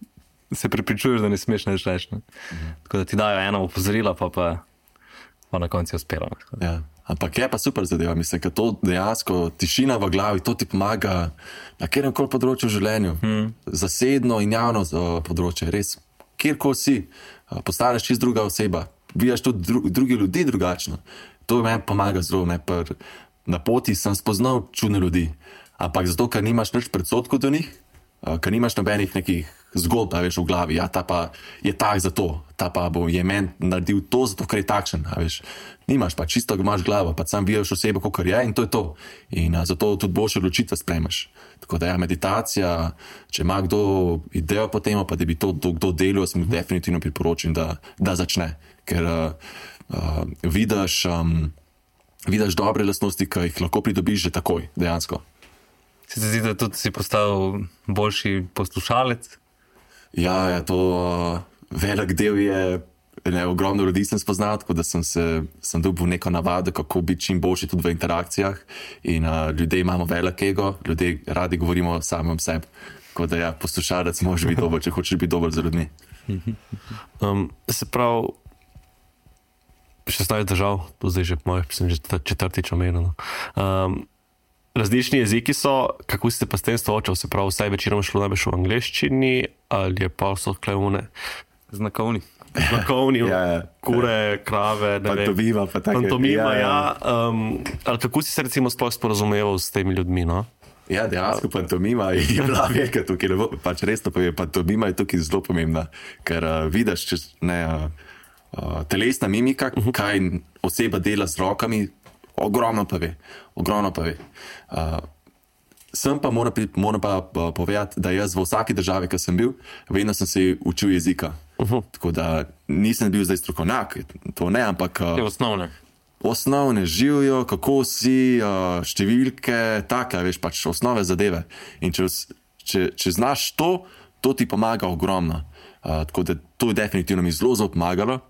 se prepričuješ, da ne smeš nič reči, ne. Mm. Tako da ti dajo eno opozorilo, pa pa, pa na koncu je uspelo. Ja. Ampak je pa super zadeva, mislim, ker to dejansko tišina v glavi, to ti pomaga na kjerkoli področju v življenju. Hmm. Zasebno in javno področje, res, kjerkoli si, postaneš čist druga oseba, vidiš tudi dru, drugi ljudi drugačno. To meni pomaga zelo, ne, per, na poti sem spoznal čudne ljudi, ampak zato, ker nimaš nič predsodkov do njih, ker nimaš nobenih nekih zgodb, veš, v glavi, ja, ta pa je tak zato, ta pa bo je meni naredil to, zato ker je takšen, veš. Nimaš pa, čisto imaš glavo, pa sam vidiš osebo, kakor je in to je to. In a, zato tudi boljše odločitve sprejmeš. Tako da ja, meditacija, če ima kdo idejo po tem, pa da bi to kdo delal, sem definitivno priporočim, da, da začne. Ker uh, uh, vidiš, um, vidiš dobre lastnosti, ki jih lahko pridobiš že takoj, dejansko. Se ti zdi, da tudi si postal boljši poslušalec? Ja, ja, to uh, velik del je, ne, ogromno ljudi sem spoznal, tako da sem se sem dobil neko navado, kako biti čim boljši tudi v interakcijah. In uh, ljudje imamo velik ego, ljudje radi govorimo o samem sebi. Tako da ja, poslušalec moraš biti dober, če hočeš biti dober za ljudmi. Um, se pravi, šestnajst držav, to zdaj že moj, sem že četrtič omenil. Um, Različni jeziki so, kako ste pa s tem soočali, se pravi, vsaj večinoma šlo najbolj v angleščini ali je pa so klevune? Znakovni. Znakovni, ja, ja. Kure, krave, ne vem. Pantomima pa tako. Pantomima, ja. ja. Um, ali kako si se recimo sploh sporazumeval s temi ljudmi, no? Ja, dejansko pantomima je bila velika tukaj, pač resno povem, pantomima je tukaj zelo pomembna, ker uh, vidiš, če ne, uh, uh, telesna mimika, uh-huh. kaj oseba dela z rokami, ogromno pa ve, ogromno pa ve. Uh, sem pa moram, moram pa uh, povedati, da jaz v vsaki državi, ki sem bil, vedno sem se učil jezika. Uh-huh. Tako da nisem bil zdaj strokovnjak, to ne, ampak... Uh, je osnovne. Osnovne, živijo, kako si, uh, številke, take, veš, pač osnove zadeve. In če, če, če znaš to, to ti pomaga ogromno. Uh, tako da to je definitivno mi zelo, zelo pomagalo.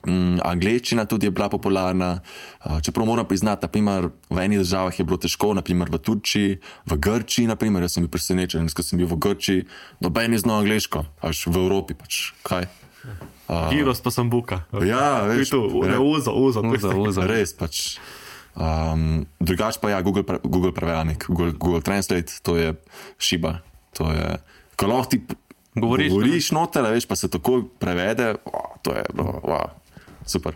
Mm, angleščina tudi je bila popularna, uh, čeprav moram priznati, naprimer, v enih državah je bilo težko, naprimer v Turčiji, v Grčiji, naprimer, jaz sem bil presenečen, ko sem bil v Grčiji, noben je znal angleško, až v Evropi, pač, kaj? Uh, Giros pa sem buka. Ja, veš, tu, ne, uzo, uzo, uzo, uzo. Res, pač. Um, drugač pa ja, Google, Google prevajalnik, Google, Google Translate, to je šiba, to je, ko lahko ti Govoriš, govoriš noter, veš, pa se tako prevede, oh, to je bilo, wow, super.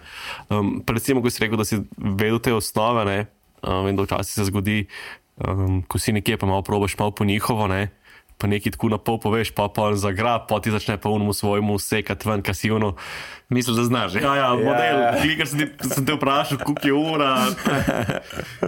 Um, predvsem, ko si rekel, da si vedel te osnove, ne, um, vem, da včasih se zgodi, um, ko si nekje pa malo probaš malo po njihovo, ne, pa nekaj tako na pol poveš, pa pa on zagra, pa ti začne pa unemu svojemu sekati ven, kaj si ono. Mislim, da znaš, že? Ja, ja, model, yeah. Klikar sem, sem te vprašal, koliko je ura.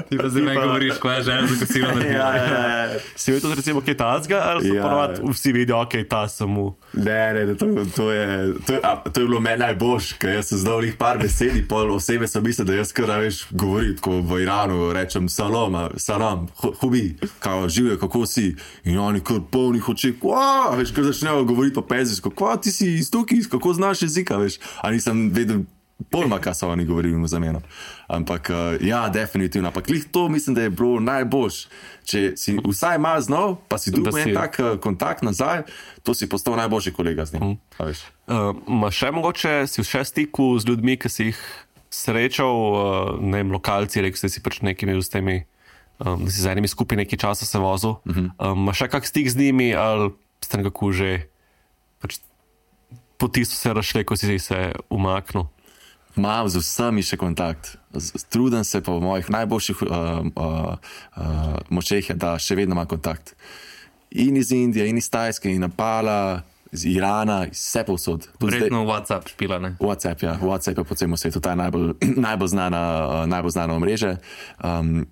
Ti pa zdaj meni govoriš, ko je žena za kasino naredila. Ja, ja, ja. Si vedel tudi recimo kaj tazga, ali so Ja. ponovadi vsi vidijo, ok, ta sem mu. Ne, ne, ne, to, to, je, to, je, a, to je bilo meni najboljš, ker jaz sem znal njih par besedi, pol osebe so mislili, da jaz kar veš govorim, ko v Iranu rečem salam, salam, hubi, kao živijo, kako si, in oni kar polnih oček, wow, veš, kar začnejo govoriti po pezijsko, kva, ti si iz tukaj, kako znaš jezika, veš, a nisem vedel pojma, kaj so oni govorili v zameno. Ampak uh, ja, definitivno, ampak lih to mislim, da je bilo najboljš, če si vsaj malo znal, pa si dobil en tak uh, kontakt nazaj, to si postal najboljši kolega z njim, a veš. Uh, ma še mogoče si v še stiku z ljudmi, ki si jih srečal, uh, ne vem, lokalci, rekel si, da si pač nekimi z temi, um, da si z enimi skupaj nekaj časa se vozil. Uh -huh. um, ma še kak stik z njimi, ali ste nekako že pač poti so se razšle, ko si se umaknil? Imam z vsemi še kontakt. Z- Trudim se po mojih najboljših uh, uh, uh, močeh, da še vedno imam kontakt. In iz Indije, in iz Tajske, in Nepala, iz Irana, iz vse povsod. Tudi zdaj- Verjetno WhatsApp špila, ne? WhatsApp, ja, WhatsApp je po celem svetu, ta je najbolj, najbolj znana, uh, najbolj znana omrežje. Um,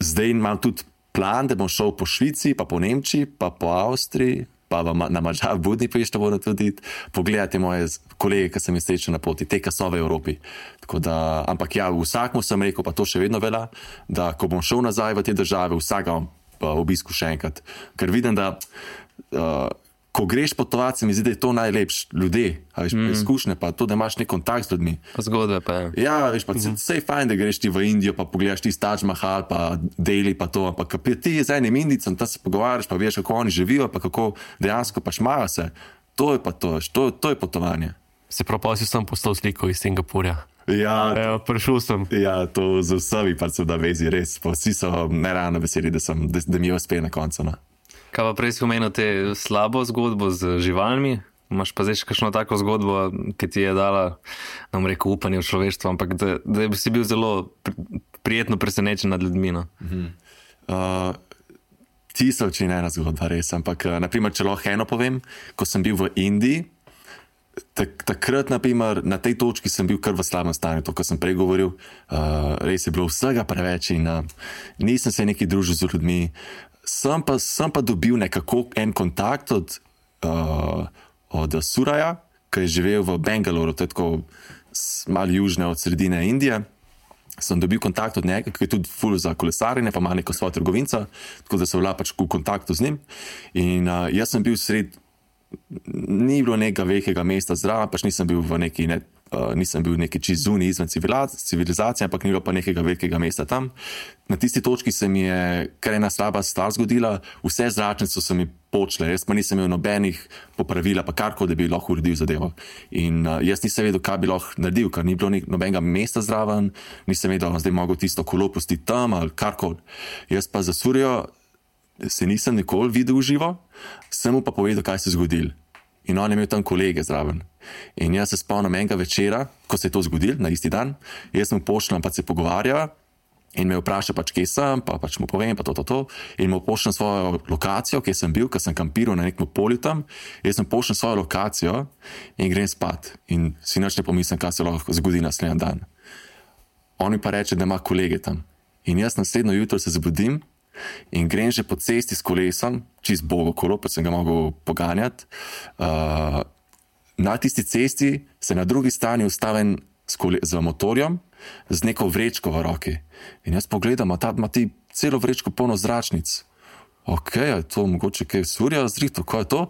zdaj imam tudi plan, da bom šel po Švici, pa po Nemčiji, pa po Avstriji, pa v, Ma- na Mađar, v Budimpešti bodo tudi pogledati moje z- kolege, ki sem jih srečal na poti, te, ki so v Evropi. Tako da, ampak ja, vsakmu sem rekel, pa to še vedno velja, da ko bom šel nazaj v te države, vsakega bom pa obisku še enkrat. Ker vidim, da uh, ko greš potovati, se mi zdi, da je to najlepše. Ljudje, a veš, mm. izkušnje, pa to, da imaš nek kontakt z ljudmi. Pa zgodbe pa je. Ja, veš, pa mm -hmm. vse je fajn, da greš ti v Indijo, pa pogledaš ti Taj Mahal, pa Delhi, pa to, ampak ko ti z enim Indijcem, tam se pogovarjaš, pa veš, kako oni živijo, pa kako dejansko pač imajo se. To je pa to, to, to je potovanje. Se pravi, si sem poslal sliko iz Singapurja. Ja, Evo, prišel sem. ja, to z vsemi pač sem na vezi, res. Pa vsi so neravno veseli, da, sem, da, da mi je uspelo na koncu. No. Kaj pa prej si omenil te slabo zgodbo z živalmi? Imaš pa zdaj še kakšno tako zgodbo, ki ti je dala, ne bom rekel, upanje v človeštvo, ampak da, da si bil zelo pri, prijetno presenečen nad ljudmi. No? Uh, tisoč in ena zgodba, res. Ampak, uh, naprimer, če lahko eno povem, ko sem bil v Indiji, tak, takrat, naprimer, na tej točki sem bil kar v slabem stanju, to, kar sem prej govoril. Uh, res je bilo vsega preveč in uh, nisem se neki družil z ljudmi. Sem pa, sem pa dobil nekako en kontakt od, uh, od Suraja, ki je živel v Bangaloru, to je tako s- malo južne od sredine Indije. Sem dobil kontakt od njega, ki je tudi ful za kolesarjenje, pa ima neko svojo trgovinco, tako da sem bila pač v kontaktu z njim. In uh, jaz sem bil sred, ni bilo nekega velikega mesta zraven, pač nisem bil v neki, ne, uh, nisem bil neki čist zunaj izven civilizacije, civilizacije, ampak ni bilo pa nekega velikega mesta tam. Na tisti točki se mi je kar ena slaba stvar zgodila, vse zračnice so se mi počle, jaz pa nisem imel nobenih popravila, pa karkoli, da bi lahko uredil zadevo. In uh, jaz nisem vedel, kaj bi lahko naredil, ker ni bilo nek- nobenega mesta zraven, nisem vedel, da zdaj mogel tisto kolo pustiti tam ali karkoli. Jaz pa za Surijo se nisem nikoli videl v živo, sem mu pa povedal, kaj se je zgodilo. In on je imel tam kolege zraven. In jaz se spomnim enega večera, ko se je to zgodilo, na isti dan, jaz mu pošljem, pa se pogovarjava in me vpraša, pač, kje sem, pa pač mu povem, pa to, to, to. In mu pošljem svojo lokacijo, kje sem bil, ker sem kampiral na nekem polju tam. Jaz mu pošljem svojo lokacijo in grem spat. In si nič ne pomislim, kaj se lahko zgodi naslednji dan. On mi pa reče, da ima kolege tam. In jaz naslednjo jutro se zbudim in grem že po cesti s kolesom, čist bogo kolo, pa sem ga mogel poganjati. Uh, na tisti cesti se na drugi strani ustavim s, kole, z motorjem, z neko vrečko v roki. In jaz pogledam, a ta ima ti celo vrečko polno zračnic. Ok, je to mogoče kaj Surja zrihto, kaj je to?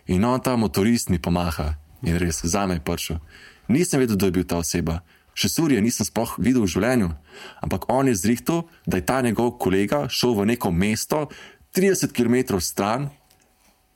In on ta motorist mi pomaha. In res, zame je prišel. Nisem vedel, da je bil ta oseba. Še Surje nisem sploh videl v življenju, ampak on je zrihtel, da je ta njegov kolega šel v neko mesto trideset kilometrov stran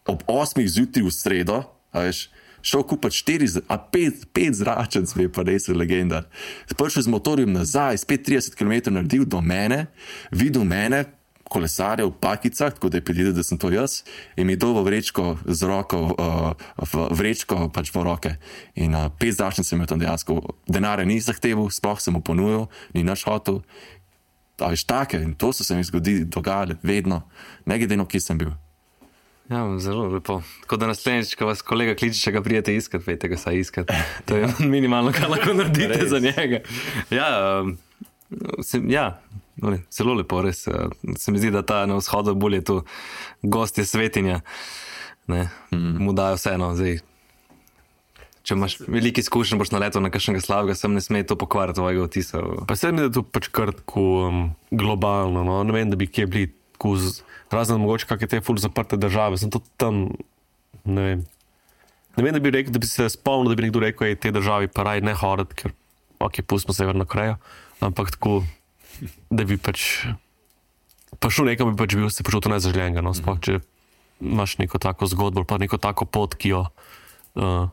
ob osmih zjutraj v sredo, a veš, šel kupiti štiri, a pet, pet zračenc, je pa res legenda. Prišel z motorjem nazaj, spet trideset kilometrov naredil do mene, videl mene, kolesarjev v pakicah, tako da je predvidel, da sem to jaz, in mi je dal v vrečko z roko, uh, v vrečko pač v roke. In uh, pet zračnic sem imel tam dejansko. Denarja ni zahteval, sploh sem mu ponujil, ni naš hotel. A veš, take, in to so se mi zgodili, dogajale, vedno, ne glede na kje sem bil. Ja, zelo lepo. Tako da naslednjič, ko vas kolega kliče, če ga prijete iskat, vete ga saj iskat. To je minimalno, kar lahko naredite za njega. Ja, um, se, ja, zelo lepo, res. Se mi zdi, da ta na vzhodu bolj je tu gost je svetinja. Ne, mm. mu dajo vseeno, zdaj. Če imaš veliki izkušnje, boš naletel na kakšnega slabega, sem ne sme to pokvariti tvojega vtisa. Pa se mi, da je to pač kar tako um, globalno, no? Ne vem, da bi kje bili tako z... Razne mogoče kakve te ful zaprte države, sem to tam, ne vem. Ne vem, da bi rekel, da bi se spomnil, da bi nekdo rekel, da te državi pa raj ne hoditi, ker ok, pustimo Severno Korejo, ampak tako, da bi pač pa šel nekam, bi pač bil se počutil nezaželenega, no, sploh, če imaš neko tako zgodbo, pa neko tako pot, ki jo uh,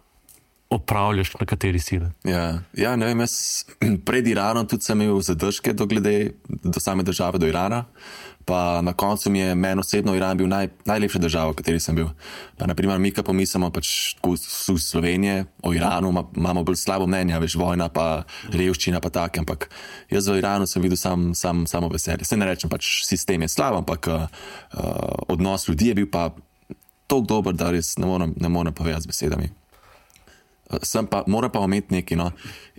opravljaš na kateri si. Ja, ja, ne vem, jaz pred Iranom tudi sem imel zadržke do glede, do same države, do Irana. Pa na koncu mi je meni osebno Iran bil naj, najlepša država, v kateri sem bil. Pa naprimer, mi, ko pomislimo pač v Slovenije, o Iranu ma, imamo bolj slabo mnenje, veš, vojna, pa revščina, pa tak, ampak jaz v Iranu sem videl sam, sam, samo veselje. Se ne rečem, pač sistem je slab, ampak uh, odnos ljudi je bil pa toliko dober, da res ne morem, ne morem povedati z besedami. Sem pa, moram pa ometi nekaj, no.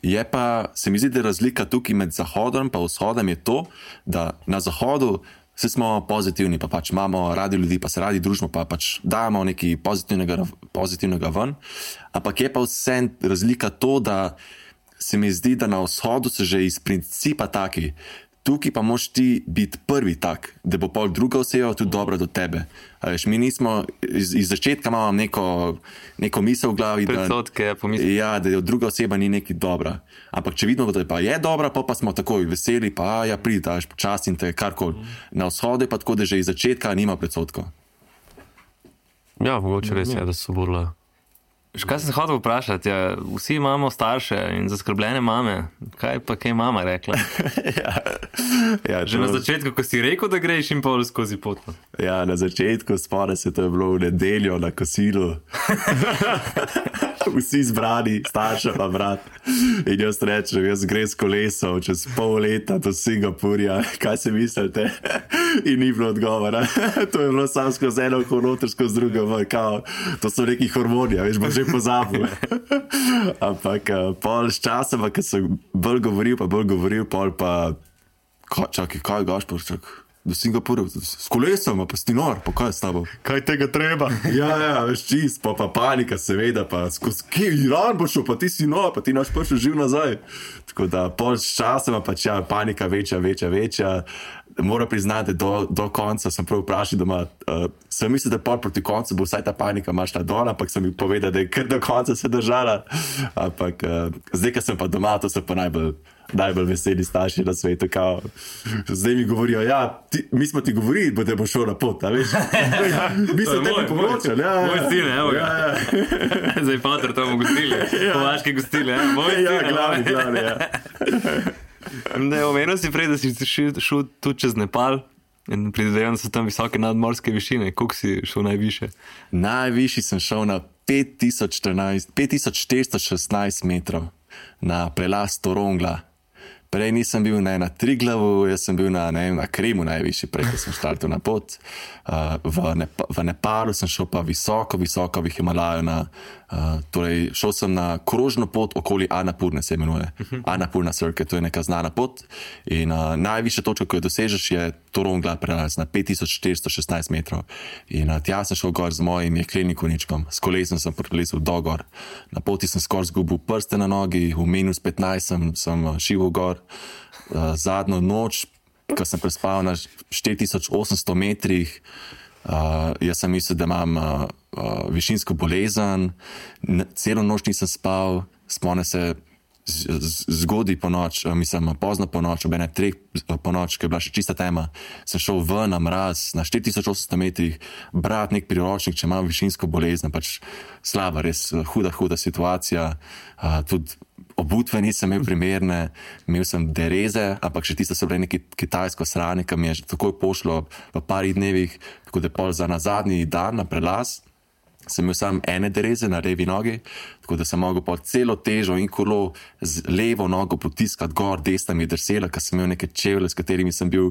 Je pa, se mi zdi, da razlika tukaj med Zahodom pa Vzhodom je to, da na Zahodu vse smo pozitivni, pa pač imamo radi ljudi, pa se radi družimo, pa pač dajemo nekaj pozitivnega, pozitivnega ven. Ampak je pa vse razlika to, da se mi zdi, da na Vzhodu se že iz principa taki. Tukaj pa moš ti biti prvi tak, da bo pol druga oseba tudi dobra do tebe. A veš, mi nismo, iz, iz začetka imamo neko, neko misel v glavi, Predsodke, da, pomisli. ja, da druga oseba ni neki dobra. Ampak če vidimo, da pa je dobra, pa, pa smo takoj veseli, pa ja, pridi, da veš, počastim te, karkoli. Na Vzhodu je pa tako, da že iz začetka nima predsodkov. Ja, mogoče res je, da so bolj... Kaj sem se hotel vprašati? Ja, vsi imamo starše in zaskrbljene mame. Kaj pa kaj mama rekla? ja, ja, Že na začetku, ko si rekel, da greš in pol skozi pot. Ja, na začetku spore se to je bilo v nedeljo na kosilu. Vsi zbrani, starša pa brat. In jaz rečem, jaz grem s kolesom čez pol leta do Singapurja. Kaj se mislite? In ni bilo odgovora. To je bilo samo skozi eno konoter, skozi drugo. Kao, to so neki hormoni, veš, bo že pozabil. Ampak pol s časom, ko sem bolj govoril, pa bolj govoril, pol pa ko, čakaj, kaj gaš, pa čakaj. Do Singapurja, s kolesom, pa si nor, pa kaj je s tabo? Kaj tega treba? Ja, ja, veš čist, pa, pa panika seveda, pa skozi kje Iran bo šel, pa ti si nor, pa ti naš prišel živ nazaj. Tako da pol s časoma pač ja, panika večja, večja, večja. Moram priznati, da do, do konca sem prav vprašal doma, uh, sem mislil, da pol proti koncu bo vsaj ta panika mašla dol, ampak sem mi povedal, da je kar do konca se držala. Ampak uh, zdaj, ko sem pa doma, to so pa najbolj najbolj veseli starši na svetu, kao, zdaj mi govorijo, ja, ti, mi smo ti govorili, da bo šel na pot, a veš? Mi smo tebi pomočali, ja. Moj sin, evo ga. Ja, ja. Zdaj pater to bomo gostili, ja. Povaške gostili, ja. Moj sin, ja, glavni, glavni, ja. Ne, omenil si prej, da si šel, šel tudi čez Nepal in predvidevam, da so tam visoke nadmorske višine. Koliko si šel najviše? Najvišji sem šel na pet tisoč štiristo šestnajst metrov na prelaz Torongla. Prej nisem bil ne, na Triglavu, jaz sem bil na, ne, na Krimu najvišji, prej, ko sem štartil na pot. Uh, v, Nepa, v Nepalu sem šel pa visoko, visoko v Himalaju. Na, uh, torej, šel sem na krožno pot okoli Annapurne, se imenuje. Uh-huh. Annapurna Circuit, to je neka znana pot. In uh, najvišja točka, ko jo dosežeš, je Torongla prelaz na pet tisoč štiristo šestnajst metrov. In uh, tja sem šel gor z mojim jeklenim konjičkom, s kolesom sem prelezel do gor. Na poti sem skoraj zgubil prste na nogi, v minus petnajst sem, sem šival gor. Uh, zadnjo noč, ko sem prespal na štiri tisoč osemsto metrih, uh, jaz sem mislil, da imam uh, uh, višinsko bolezen, celo noč nisem spal, spomnim se, zgodaj po noč, mislim, pozno po noč, ob ene treh po noč, ki je bila še čista tema, sem šel ven na mraz, na štiri tisoč osemsto metrih, brat nek priročnik, če imam višinsko bolezen, pač slaba, res huda, huda situacija. Uh, tudi obutve nisem imel primerne, imel sem dereze, ampak še tiste so bile neki kitajsko sranje, ki mi je že takoj pošlo v parih dnevih, tako da pol za na zadnji dan na prelaz sem imel sam ene dereze na levi nogi, tako da sem mogel po celo težo in kolo z levo nogo potiskati gor, desna mi je drsela, ker sem imel neke čevlje, s katerimi sem bil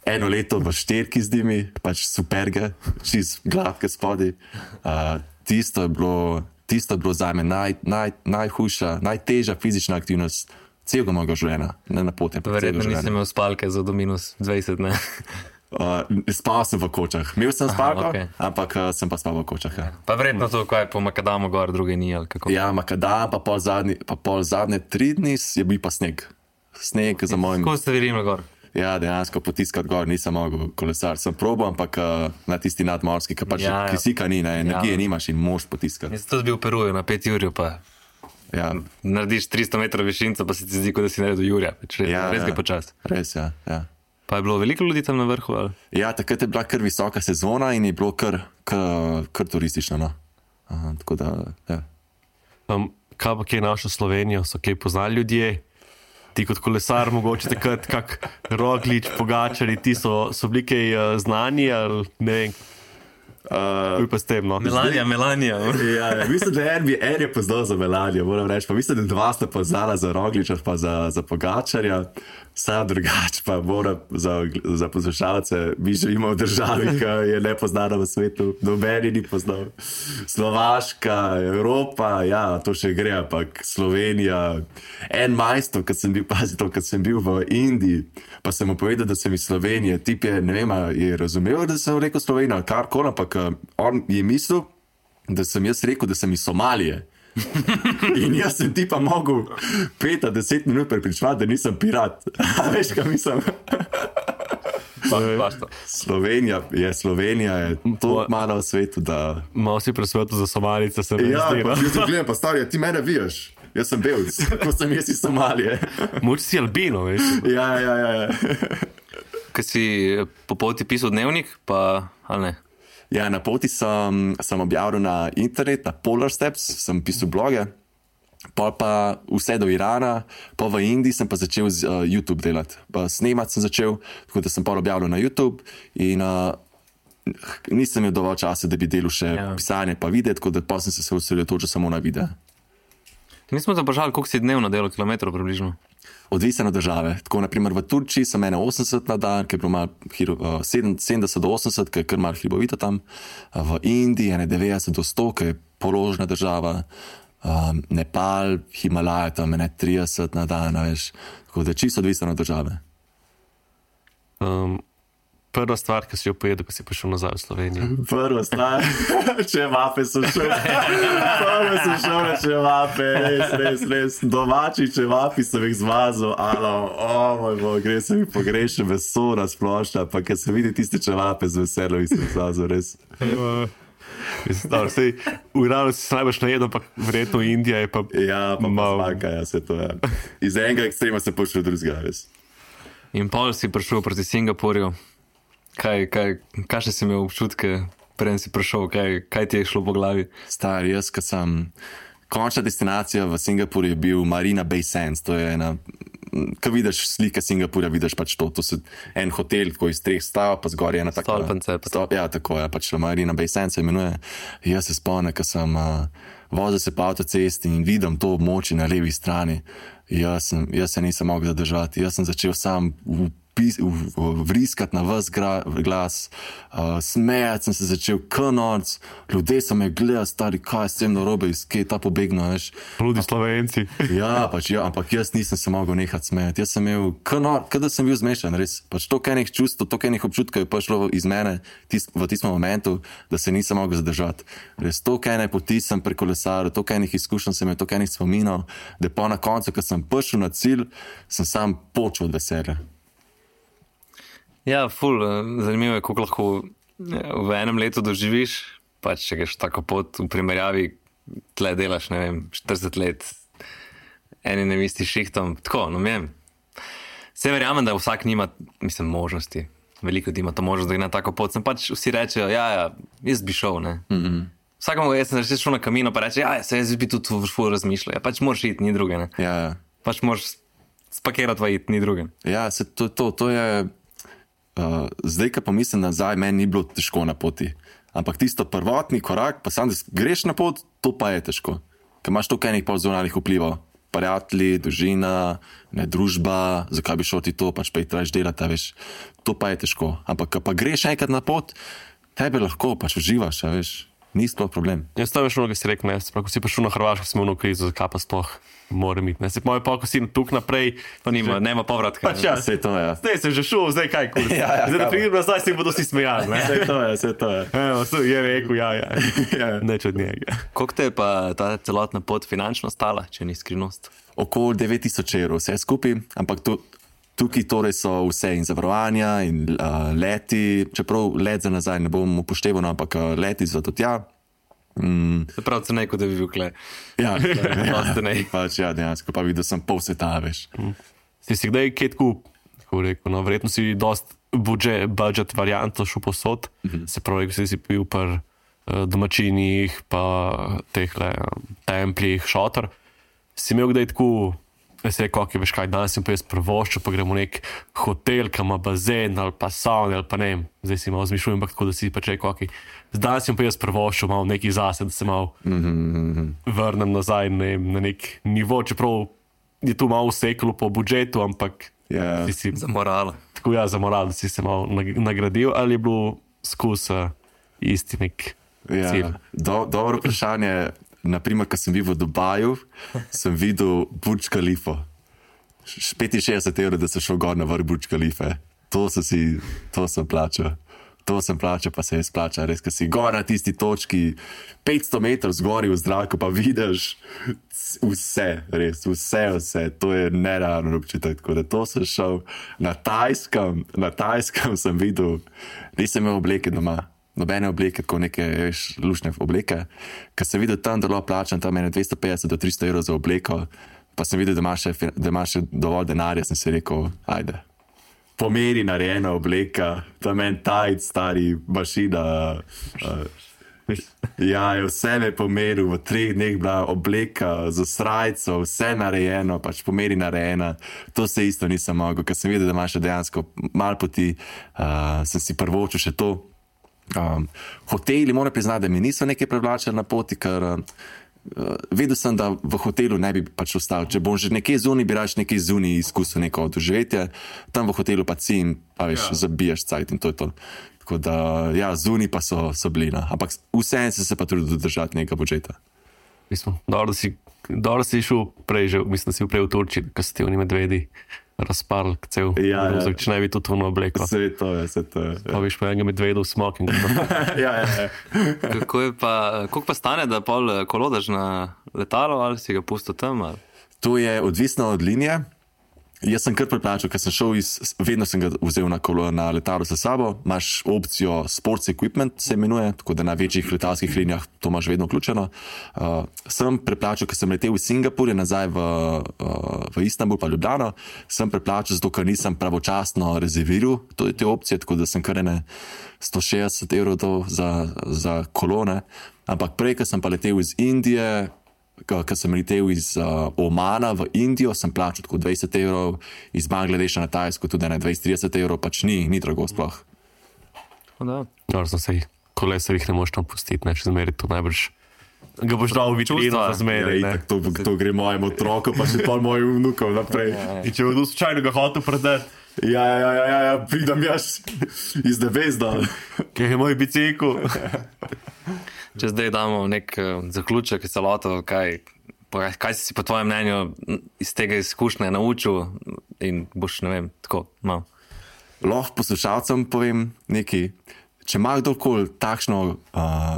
eno leto v šterki z njimi, pač superge, čist gladke spodaj. Uh, tisto je bilo, tisto je bilo zame naj, naj, najhujša, najtežja fizična aktivnost celega mojega življenja, ne na poti. Verjetno nisem imel spalke za do minus dvajset, ne? Uh, spal sem v kočah. Imel sem spalko, okay. ampak uh, sem pa spal v kočah. Ja. Pa verjetno to, ko je po makadamu gor, druge ni, ali kako? Ja, makadam, pa pol, zadnji, pa pol zadnje tri dni je bil pa sneg. Sneg za mojim... Kako ste videli gor? Ja, dejansko potiskati gor, nisem mogel kolesar. Sem probal, ampak uh, na tisti nadmorski, ki pač ja, kisika ni, ne, energije ja. nimaš in moš potiskati. Jaz tudi bil v Peruju na pet jurju, pa ja. narediš tristo metrov višinca, pa se ti zdi, kot da si naredil jurja. Res, ja, res ja. ga počas. Res, ja, ja. Pa je bilo veliko ljudi tam na vrhu? Ali? Ja, takrat je bila kar visoka sezona in je bilo kar, kar, kar turistično. No? Aha, tako da, ja. Um, kaj pa kje našo Slovenijo, so kaj poznali ljudje? Ti kot kolesar, mogoče takrat kak Roglič, Pogačari, ti so, so bili kaj uh, znani ali ne vem? Uh, pa s tem, no. Melanija, Melanija. Ja, ja, mislim, da en, en je poznal za Melanijo, moram reči. Pa mislim, da dva sta poznala za Rogliča, pa za, za Pogačarja. Sam drugač pa moram za, za poslušalce. Mi živimo v državi, ki je nepoznana v svetu. Nobeni ni poznal. Slovaška, Evropa, ja, to še gre, ampak Slovenija. En majstor, kad sem bil, pazi to, kad sem bil v Indiji, pa sem mu povedal, da sem iz Slovenije. Tip je, ne vem, je razumel, da sem rekel Slovenija, ali karkoli, ampak on je mislil, da sem jaz rekel, da sem iz Somalije. In jaz sem ti pa mogel pet do deset minut prepričevati, da nisem pirat. Veš, kaj mislim? Slovenija je, Slovenija je to malo v svetu, da... Malo si presvetu za Somalice, se mi ja, zdi. Ja, jaz gledam, pa starja, ti mene viješ. Jaz sem belc, ko sem jaz iz Somalije. Moč si albino, veš? Ja, ja, ja. ja. Kaj si po poti pisal dnevnik, pa ali ne? Ja, na poti sem, sem objavil na internet, na Polar Steps, sem pisal bloge, pol pa vse do Irana, pa v Indiji sem pa začel z uh, YouTube delati. Pa snemat sem začel, tako da sem pol objavil na YouTube in uh, nisem imel dovolj časa, da bi delal še ja. pisanje pa videti, tako da pa sem se osredotočil samo na videe. Mi smo te vprašali, koliko si dnevno delal kilometrov približno? Odvisno od države. Tako, naprimer, v Turčiji sem ene osemdeset na dan, ki je bilo malo uh, sedemdeset do osemdeset, ki je kar malo hribovito tam. V Indiji ene devetdeset do sto, ki je položna država. Um, Nepal, Himalaja, tam ene trideset na dan, veš. Tako da čisto odvisno od države. Um, prva stvar, ki si jo pojedel, ko si prišel nazaj v Slovenijo? Prva stvar, čevape sem šel. Prva sem šel na čevape, res, res, res. Domači čevapi sem jih zmazal, alo, o moj bog, gre se mi pogrešil meso na splošno, pa kad se vidi tiste čevape z veselom, sem zmazal, res. Mislim, da vse, v Iranu si se najbolj najedel, pa verjetno Indija je pa... Ja, pa mal... pa spanka, ja, se to je. Ja. Iz enega ekstrema se pošel drugega, res. In pol si prišel proti Singapurju. Kaj, kaj, kaj še si imel občutke, preden si prišel, kaj, kaj ti je šlo po glavi? Star, jaz, kad sem... Končna destinacija v Singapurju je bil Marina Bay Sands, to je ena... Kad vidiš slike Singapurja, vidiš pač to, to je en hotel, tako iz treh stav, pa zgor je ena taka... Stolpence. Stol, ja, tako je, pač Marina Bay Sands se imenuje. Jaz se spomnim, kad sem uh, vozil se po avtocesti in vidim to območje na levi strani. Jaz, sem, jaz se nisem mogel zadržati, jaz sem začel sam... V, vriskati na vas glas, uh, smejati sem se začel k-norc, ljudje so me gledali, stari, kaj s tem narobe, iz kje je ta pobegno, veš. Ludi Slovenci. Ja, pač, ja, ampak jaz nisem se mogel nehati smejati, jaz sem imel k-norc, kada sem bil zmešan, res, pač to enih čustv, to enih občutkov je prišlo iz mene tis, v tistem momentu, da se nisem mogel zadržati. Res, to ene poti sem prekolesaril, to enih izkušenj sem imel, to enih spominov, da pa na koncu, ko sem prišel na cilj, sem sam počel od veselja. Ja, ful, zanimivo je, koliko lahko v enem letu doživiš, pač če greš tako pot v primerjavi, tle delaš, ne vem, štirideset let enim in istim šihtom. Tako, no vem. Vse verjamem, da vsak nima, mislim, možnosti. Veliko ljudi ima to možnost, da gre na tako pot. Sem pač vsi rečejo, ja, ja, jaz bi šel, ne. Mm-hmm. Vsakому, jaz sem reči šel na kamino, pa reče, ja, se jaz bi tudi ful razmišljal. Ja, pač moraš iti, ni druge, ne. Ja, ja. Pač moraš spakirati, pa iti, ni druge. Ja, se to, to, to je, uh, zdaj, ko pa mislim nazaj, meni ni bilo težko na poti. Ampak tisto prvotni korak, pa sam, da greš na pot, to pa je težko. Ker imaš toliko enih polzunalnih vplivov. Prijatelji, družina, ne družba, zakaj bi šel ti to, pač pa jih tražiš delati, veš. To pa je težko. Ampak, ko pa greš enkrat na pot, tebe lahko, pač uživaš, veš. Ni sploh problem. Jaz to veš, mnogo si rekel, ne, sprav, ko si prišel na Hrvaško, smo v krizo, zakaj pa sploh mora imeti, ne. Se pa moj pa, ko si tuk naprej, pa nima, že... nema povratka. Pač ja, vse to je. Zdaj sem že šel, zdaj kaj, kur. ja, ja, zdaj da pridem nazaj, si bodo si smejali, ne. Vse to je, vse to je. Evo, je rekel, ja, ja, ja. Neč od njega. Koliko te je pa ta celotna pot finančno stala, če ni skrivnost? Okoli devet tisoč evrov, vse skupaj, ampak to, tukaj torej so vse in zavarovanja in uh, leti, čeprav let za nazaj ne bom upošteval, ampak uh, leti za to tja. Mm. Se pravi, cenej, kot da bi bil kle. Ja, ja, pač ja, dejansko, pa videl sem pol sveta, veš. Mm. Si si kdaj kaj tako, kako rekel, no, verjetno si dost budžet, budžet varianto šel posod, mm-hmm. Se pravi, ko si si bil par uh, domačinih, pa tehle um, templjih, šotor, si imel kdaj tako, jaz rekel, ok, veš kaj, danes sem pa jaz prvoščil, pa gremo v nek hotel, kam ima bazen, ali pa sauna, ali pa ne vem, zdaj si malo zmišljujem, ampak tako, da si pač rekel, ok, danes sem pa jaz prvoščil malo nekaj zase, da se malo mm-hmm. vrnem nazaj ne, na nek nivo, čeprav je tu malo useklo po budžetu, ampak yeah. si si... Za moral. Tako ja, za moral, da si se malo nagradil, ali je bilo skus uh, isti nek yeah. cilj? Do, dobro vprašanje. Naprimer, ko sem bil v Dubaju, sem videl Burj Khalifa. petinšestdeset evrov, da sem šel gor na vrh Burj Khalife. To sem si, to sem plačal. To sem plačal, pa se je splačal. Res, ko si gor na tisti točki, petsto metrov zgori v zraku, pa vidiš vse, res, vse, vse. To je nerealno občutek. Tako da to sem šel na Tajskem, na Tajskem sem videl, nisem imel obleke doma. Nobene obleke, kot neke veš, lušne obleke. Ko sem videl tam dolo plačan, tam je dvesto petdeset do tristo evrov za obleko, pa sem videl, da imaš še, da imaš še dovolj denarja, sem si rekel, ajde. Pomeri narejena obleka, tam en tajc, stari mašina. Uh, ja, je vse me pomeril, v treh dneh bila obleka za srajco, vse narejeno, pač pomeri narejena. To se isto nisem mogel, ker sem videl, da imaš dejansko malo poti, uh, sem si prvočil še to. Um, hoteli, moram priznati, da mi niso nekaj privlačili na poti, ker uh, vedel sem, da v hotelu ne bi pač ostal. Če bom že nekaj zunaj, bi rač nekaj zunaj izkusil neko doživetje, tam v hotelu pa si in pa veš, ja. Zabijaš cajt in to je to. Tako da, ja, zunaj pa so, so blina, ampak vseeno sem se pa trudil držati nekaj budžeta. Mislim, dobro, da si, dobro si šel prej, že, mislim, da si prej v Turčiji, ko si ti oni medvedi razparl cel ja, ruzak, ja. Če ne bi tudi ono obleko. Vse to je, vse to je. Pa viš pa enega medvedu v smokingu. ja, ja, ja. Kako je pa, koliko pa stane, da pol kolodaš na letalo, ali si ga pustil tam? Ali? To je odvisno od linije. Jaz sem kar preplačal, ker sem šel iz, vedno sem ga vzel na, kolo, na letalo sa sabo. Imaš opcijo sports equipment, se imenuje, tako da na večjih letalskih linijah to imaš vedno vključeno. Uh, sem preplačal, ker sem letel v Singapurje, nazaj v, uh, v Istanbul pa Ljubljano. Sem preplačal, zato ker nisem pravočasno rezerviral te opcije, tako da sem kar ene sto šestdeset evrov za, za kolone. Ampak prej, ker sem pa letel iz Indije, Ko sem letel iz uh, Omana v Indijo, sem plačal tako dvajset evrov, iz Bangladeša na Tajsko tudi na dvajset trideset evrov, pač ni, ni drago sploh. Da. No, sej, kolesar jih ne moš tam pustiti, ne, če zmeri to najbrž. Ga boš dal v vitrino, pa zmeri. Ja, to, to gre mojemu otroku, pa še pa mojim vnukom naprej. In če bodo slučajno ga hotel predati. Ja, ja, ja, ja, ja, pridem jaz iz nebezda. Kaj je moj bicikl? Če zdaj damo nek uh, zaključek celoto, kaj, kaj si si po tvojem mnenju iz tega izkušnje naučil in boš, ne vem, tako malo. Lahko poslušalcem povem nekaj. če ima kdorkoli takšno uh,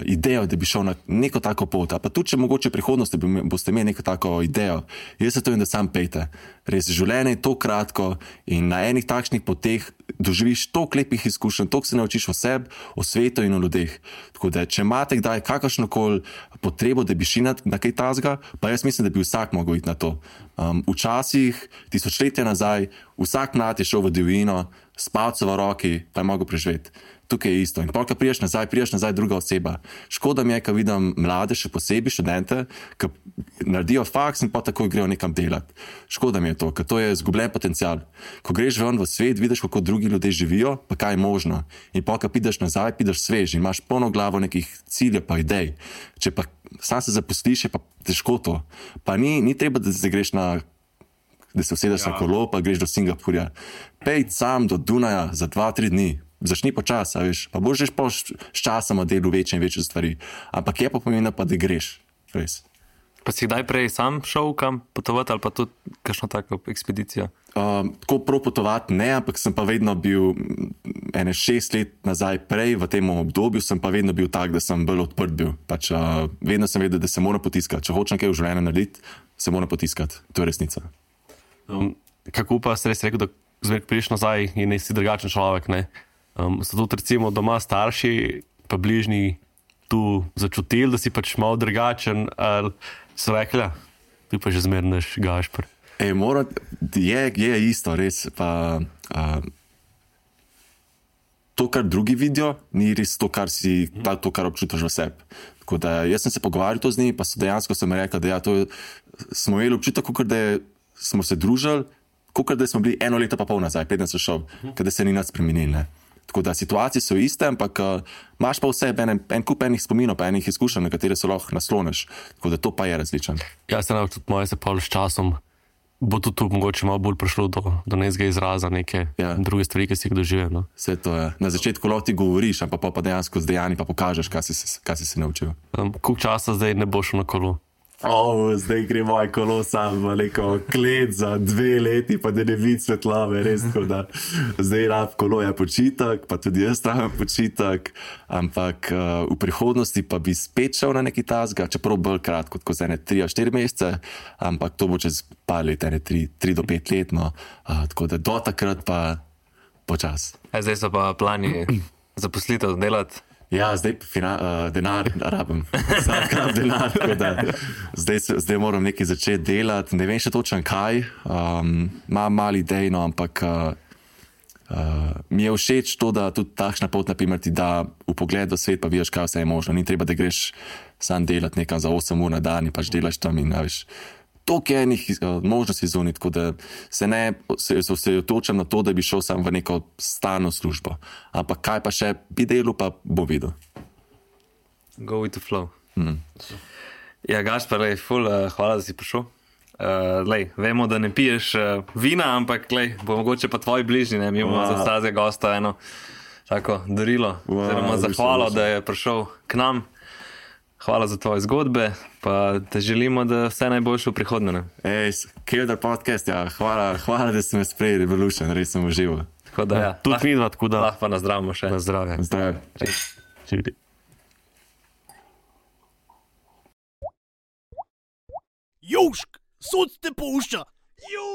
idejo, da bi šel na neko tako pot, pa tudi če mogoče v prihodnosti boste imeli neko tako idejo, jaz se to vem, da sam pejte. Res, življenje je to kratko in na enih takšnih poteh doživiš toliko lepih izkušenj, toliko se naučiš o sebi, o svetu in o ljudeh. Tako da, če imate kdaj kakršnokoli potrebo, da bi šli na, na kaj tazga, pa jaz mislim, da bi vsak mogel iti na to. Um, včasih, tisočletja nazaj, vsak mlad je šel v divjino, s palcem v roki, pa je mogel preživeti. Tukaj je isto. In pa, ko priješ nazaj, priješ nazaj druga oseba. Škoda mi je, ko vidim mlade, še posebej študente, ki naredijo faks in pa takoj grejo nekam delati. Škoda mi je to, ker to je izgubljen potencial. Ko greš ven v svet, vidiš, kako drugi ljudje živijo, pa kaj je možno. In pa, ko pideš nazaj, pideš svež in imaš polno glavo nekih ciljev pa idej. Če pa sam se zaposliš, je pa težko to. Pa ni, ni treba, da se greš na da se usedeš ja. na kolo, pa greš do Singapurja. Pej sam do Dunaja za dva, tri dni. Začni počasi, veš, pa boš že pa s časoma delu večje in večje stvari. Ampak je pa pomembno pa, da greš, res. Pa si kdaj prej sam šel kam potovati ali pa tudi kakšno tako ekspedicijo? Um, tako prav potovati ne, ampak sem pa vedno bil ene šest let nazaj prej, v tem obdobju sem pa vedno bil tak, da sem bolj odprt bil. Pač uh, vedno sem vedel, da se moram potiskati. Če hočem kaj v življenju narediti, se moram potiskati. To je resnica. Um, kako pa si res rekel, da zmeraj priješ nazaj in si drugačen človek, ne? Um, so tudi recimo doma starši pa bližnji tu začutili, da si pač malo drugačen, ali so rekli, ja, tu pa že zmeraj naš Gašper. Ej, mora, je, je isto, res, pa uh, to, kar drugi vidijo, ni res to, kar si, ta, to, kar občutiš v sebi. Tako da jaz sem se pogovarjal to z njimi, pa so dejansko sem rekel, da ja, to smo imeli občutek, kot da je, smo se družili, kot da smo bili eno leto pa pol nazaj, preden sem šel, uh-huh. Kada se ni nič spremenil, ne. Tako da situacije so iste, ampak uh, imaš pa vse en, en kup enih spominov, pa enih izkušenj, na katere se lahko nasloniš. Tako da to pa je različen. Ja, se nam tudi moje se pol s časom bo tudi tu mogoče malo bolj prišlo do, do nekega izraza, neke ja. druge stvari, ki si jih doživel. No? Vse to je. Na začetku lahko ti govoriš, ampak pa, pa dejansko z dejanji pa pokažeš, kaj si, kaj si se naučil. Um, koliko časa zdaj ne boš na kolu? Oh, zdaj gre moje kolo sam v neko klet za dve leti, pa da ne vidi svetlave, res tako da. Zdaj rab kolo je počitek, pa tudi jaz rabim počitek, ampak uh, v prihodnosti pa bi spet šel na neki tazga, čeprav bolj kratko, kot za ene tri ali štiri mesece, ampak to bo čez par let, ene tri, tri do pet let, no. Uh, tako da do takrat pa počas. E, zdaj so pa plani zaposlitev delati. Ja, zdaj fina, uh, denar rabim. Vsak rab denar. Da, zdaj, zdaj moram nekaj začeti delati. Ne vem še točno kaj. Um, imam mali idej, no, ampak uh, uh, mi je všeč to, da tudi takšna pot, naprimer, ti da v pogled do svet, pa vidiš, kaj vse je možno. Ni treba, da greš sam delati nekam za osem ur na dan in pač delaš tam in veš. Toliko je enih uh, možnosti zunaj, tako da se ne se, se osredotočam na to, da bi šel sam v neko stalno službo. Ampak kaj pa še bi delal, pa bo videl. Go with the flow. Mm. Ja, Gašper, lej, ful, uh, hvala, da si prišel. Uh, lej, vemo, da ne piješ uh, vina, ampak lej, bo mogoče pa tvoji bližnji, ne, mi bomo wow. za vsakega gosta eno tako darilo, wow, oziroma zahvalo, da je prišel k nam. Hvala za tvoje zgodbe, pa te želimo, da vse najboljše v prihodnje. Ej, Kelder podcast, ja, hvala, hvala, da ste me sprejeli, Revolution, res sem užival. Tako da, ja, tudi midva, tako da. Lahko pa nazdravimo še. Na zdravje. Zdravje. Južk, sod te pušča. Južk.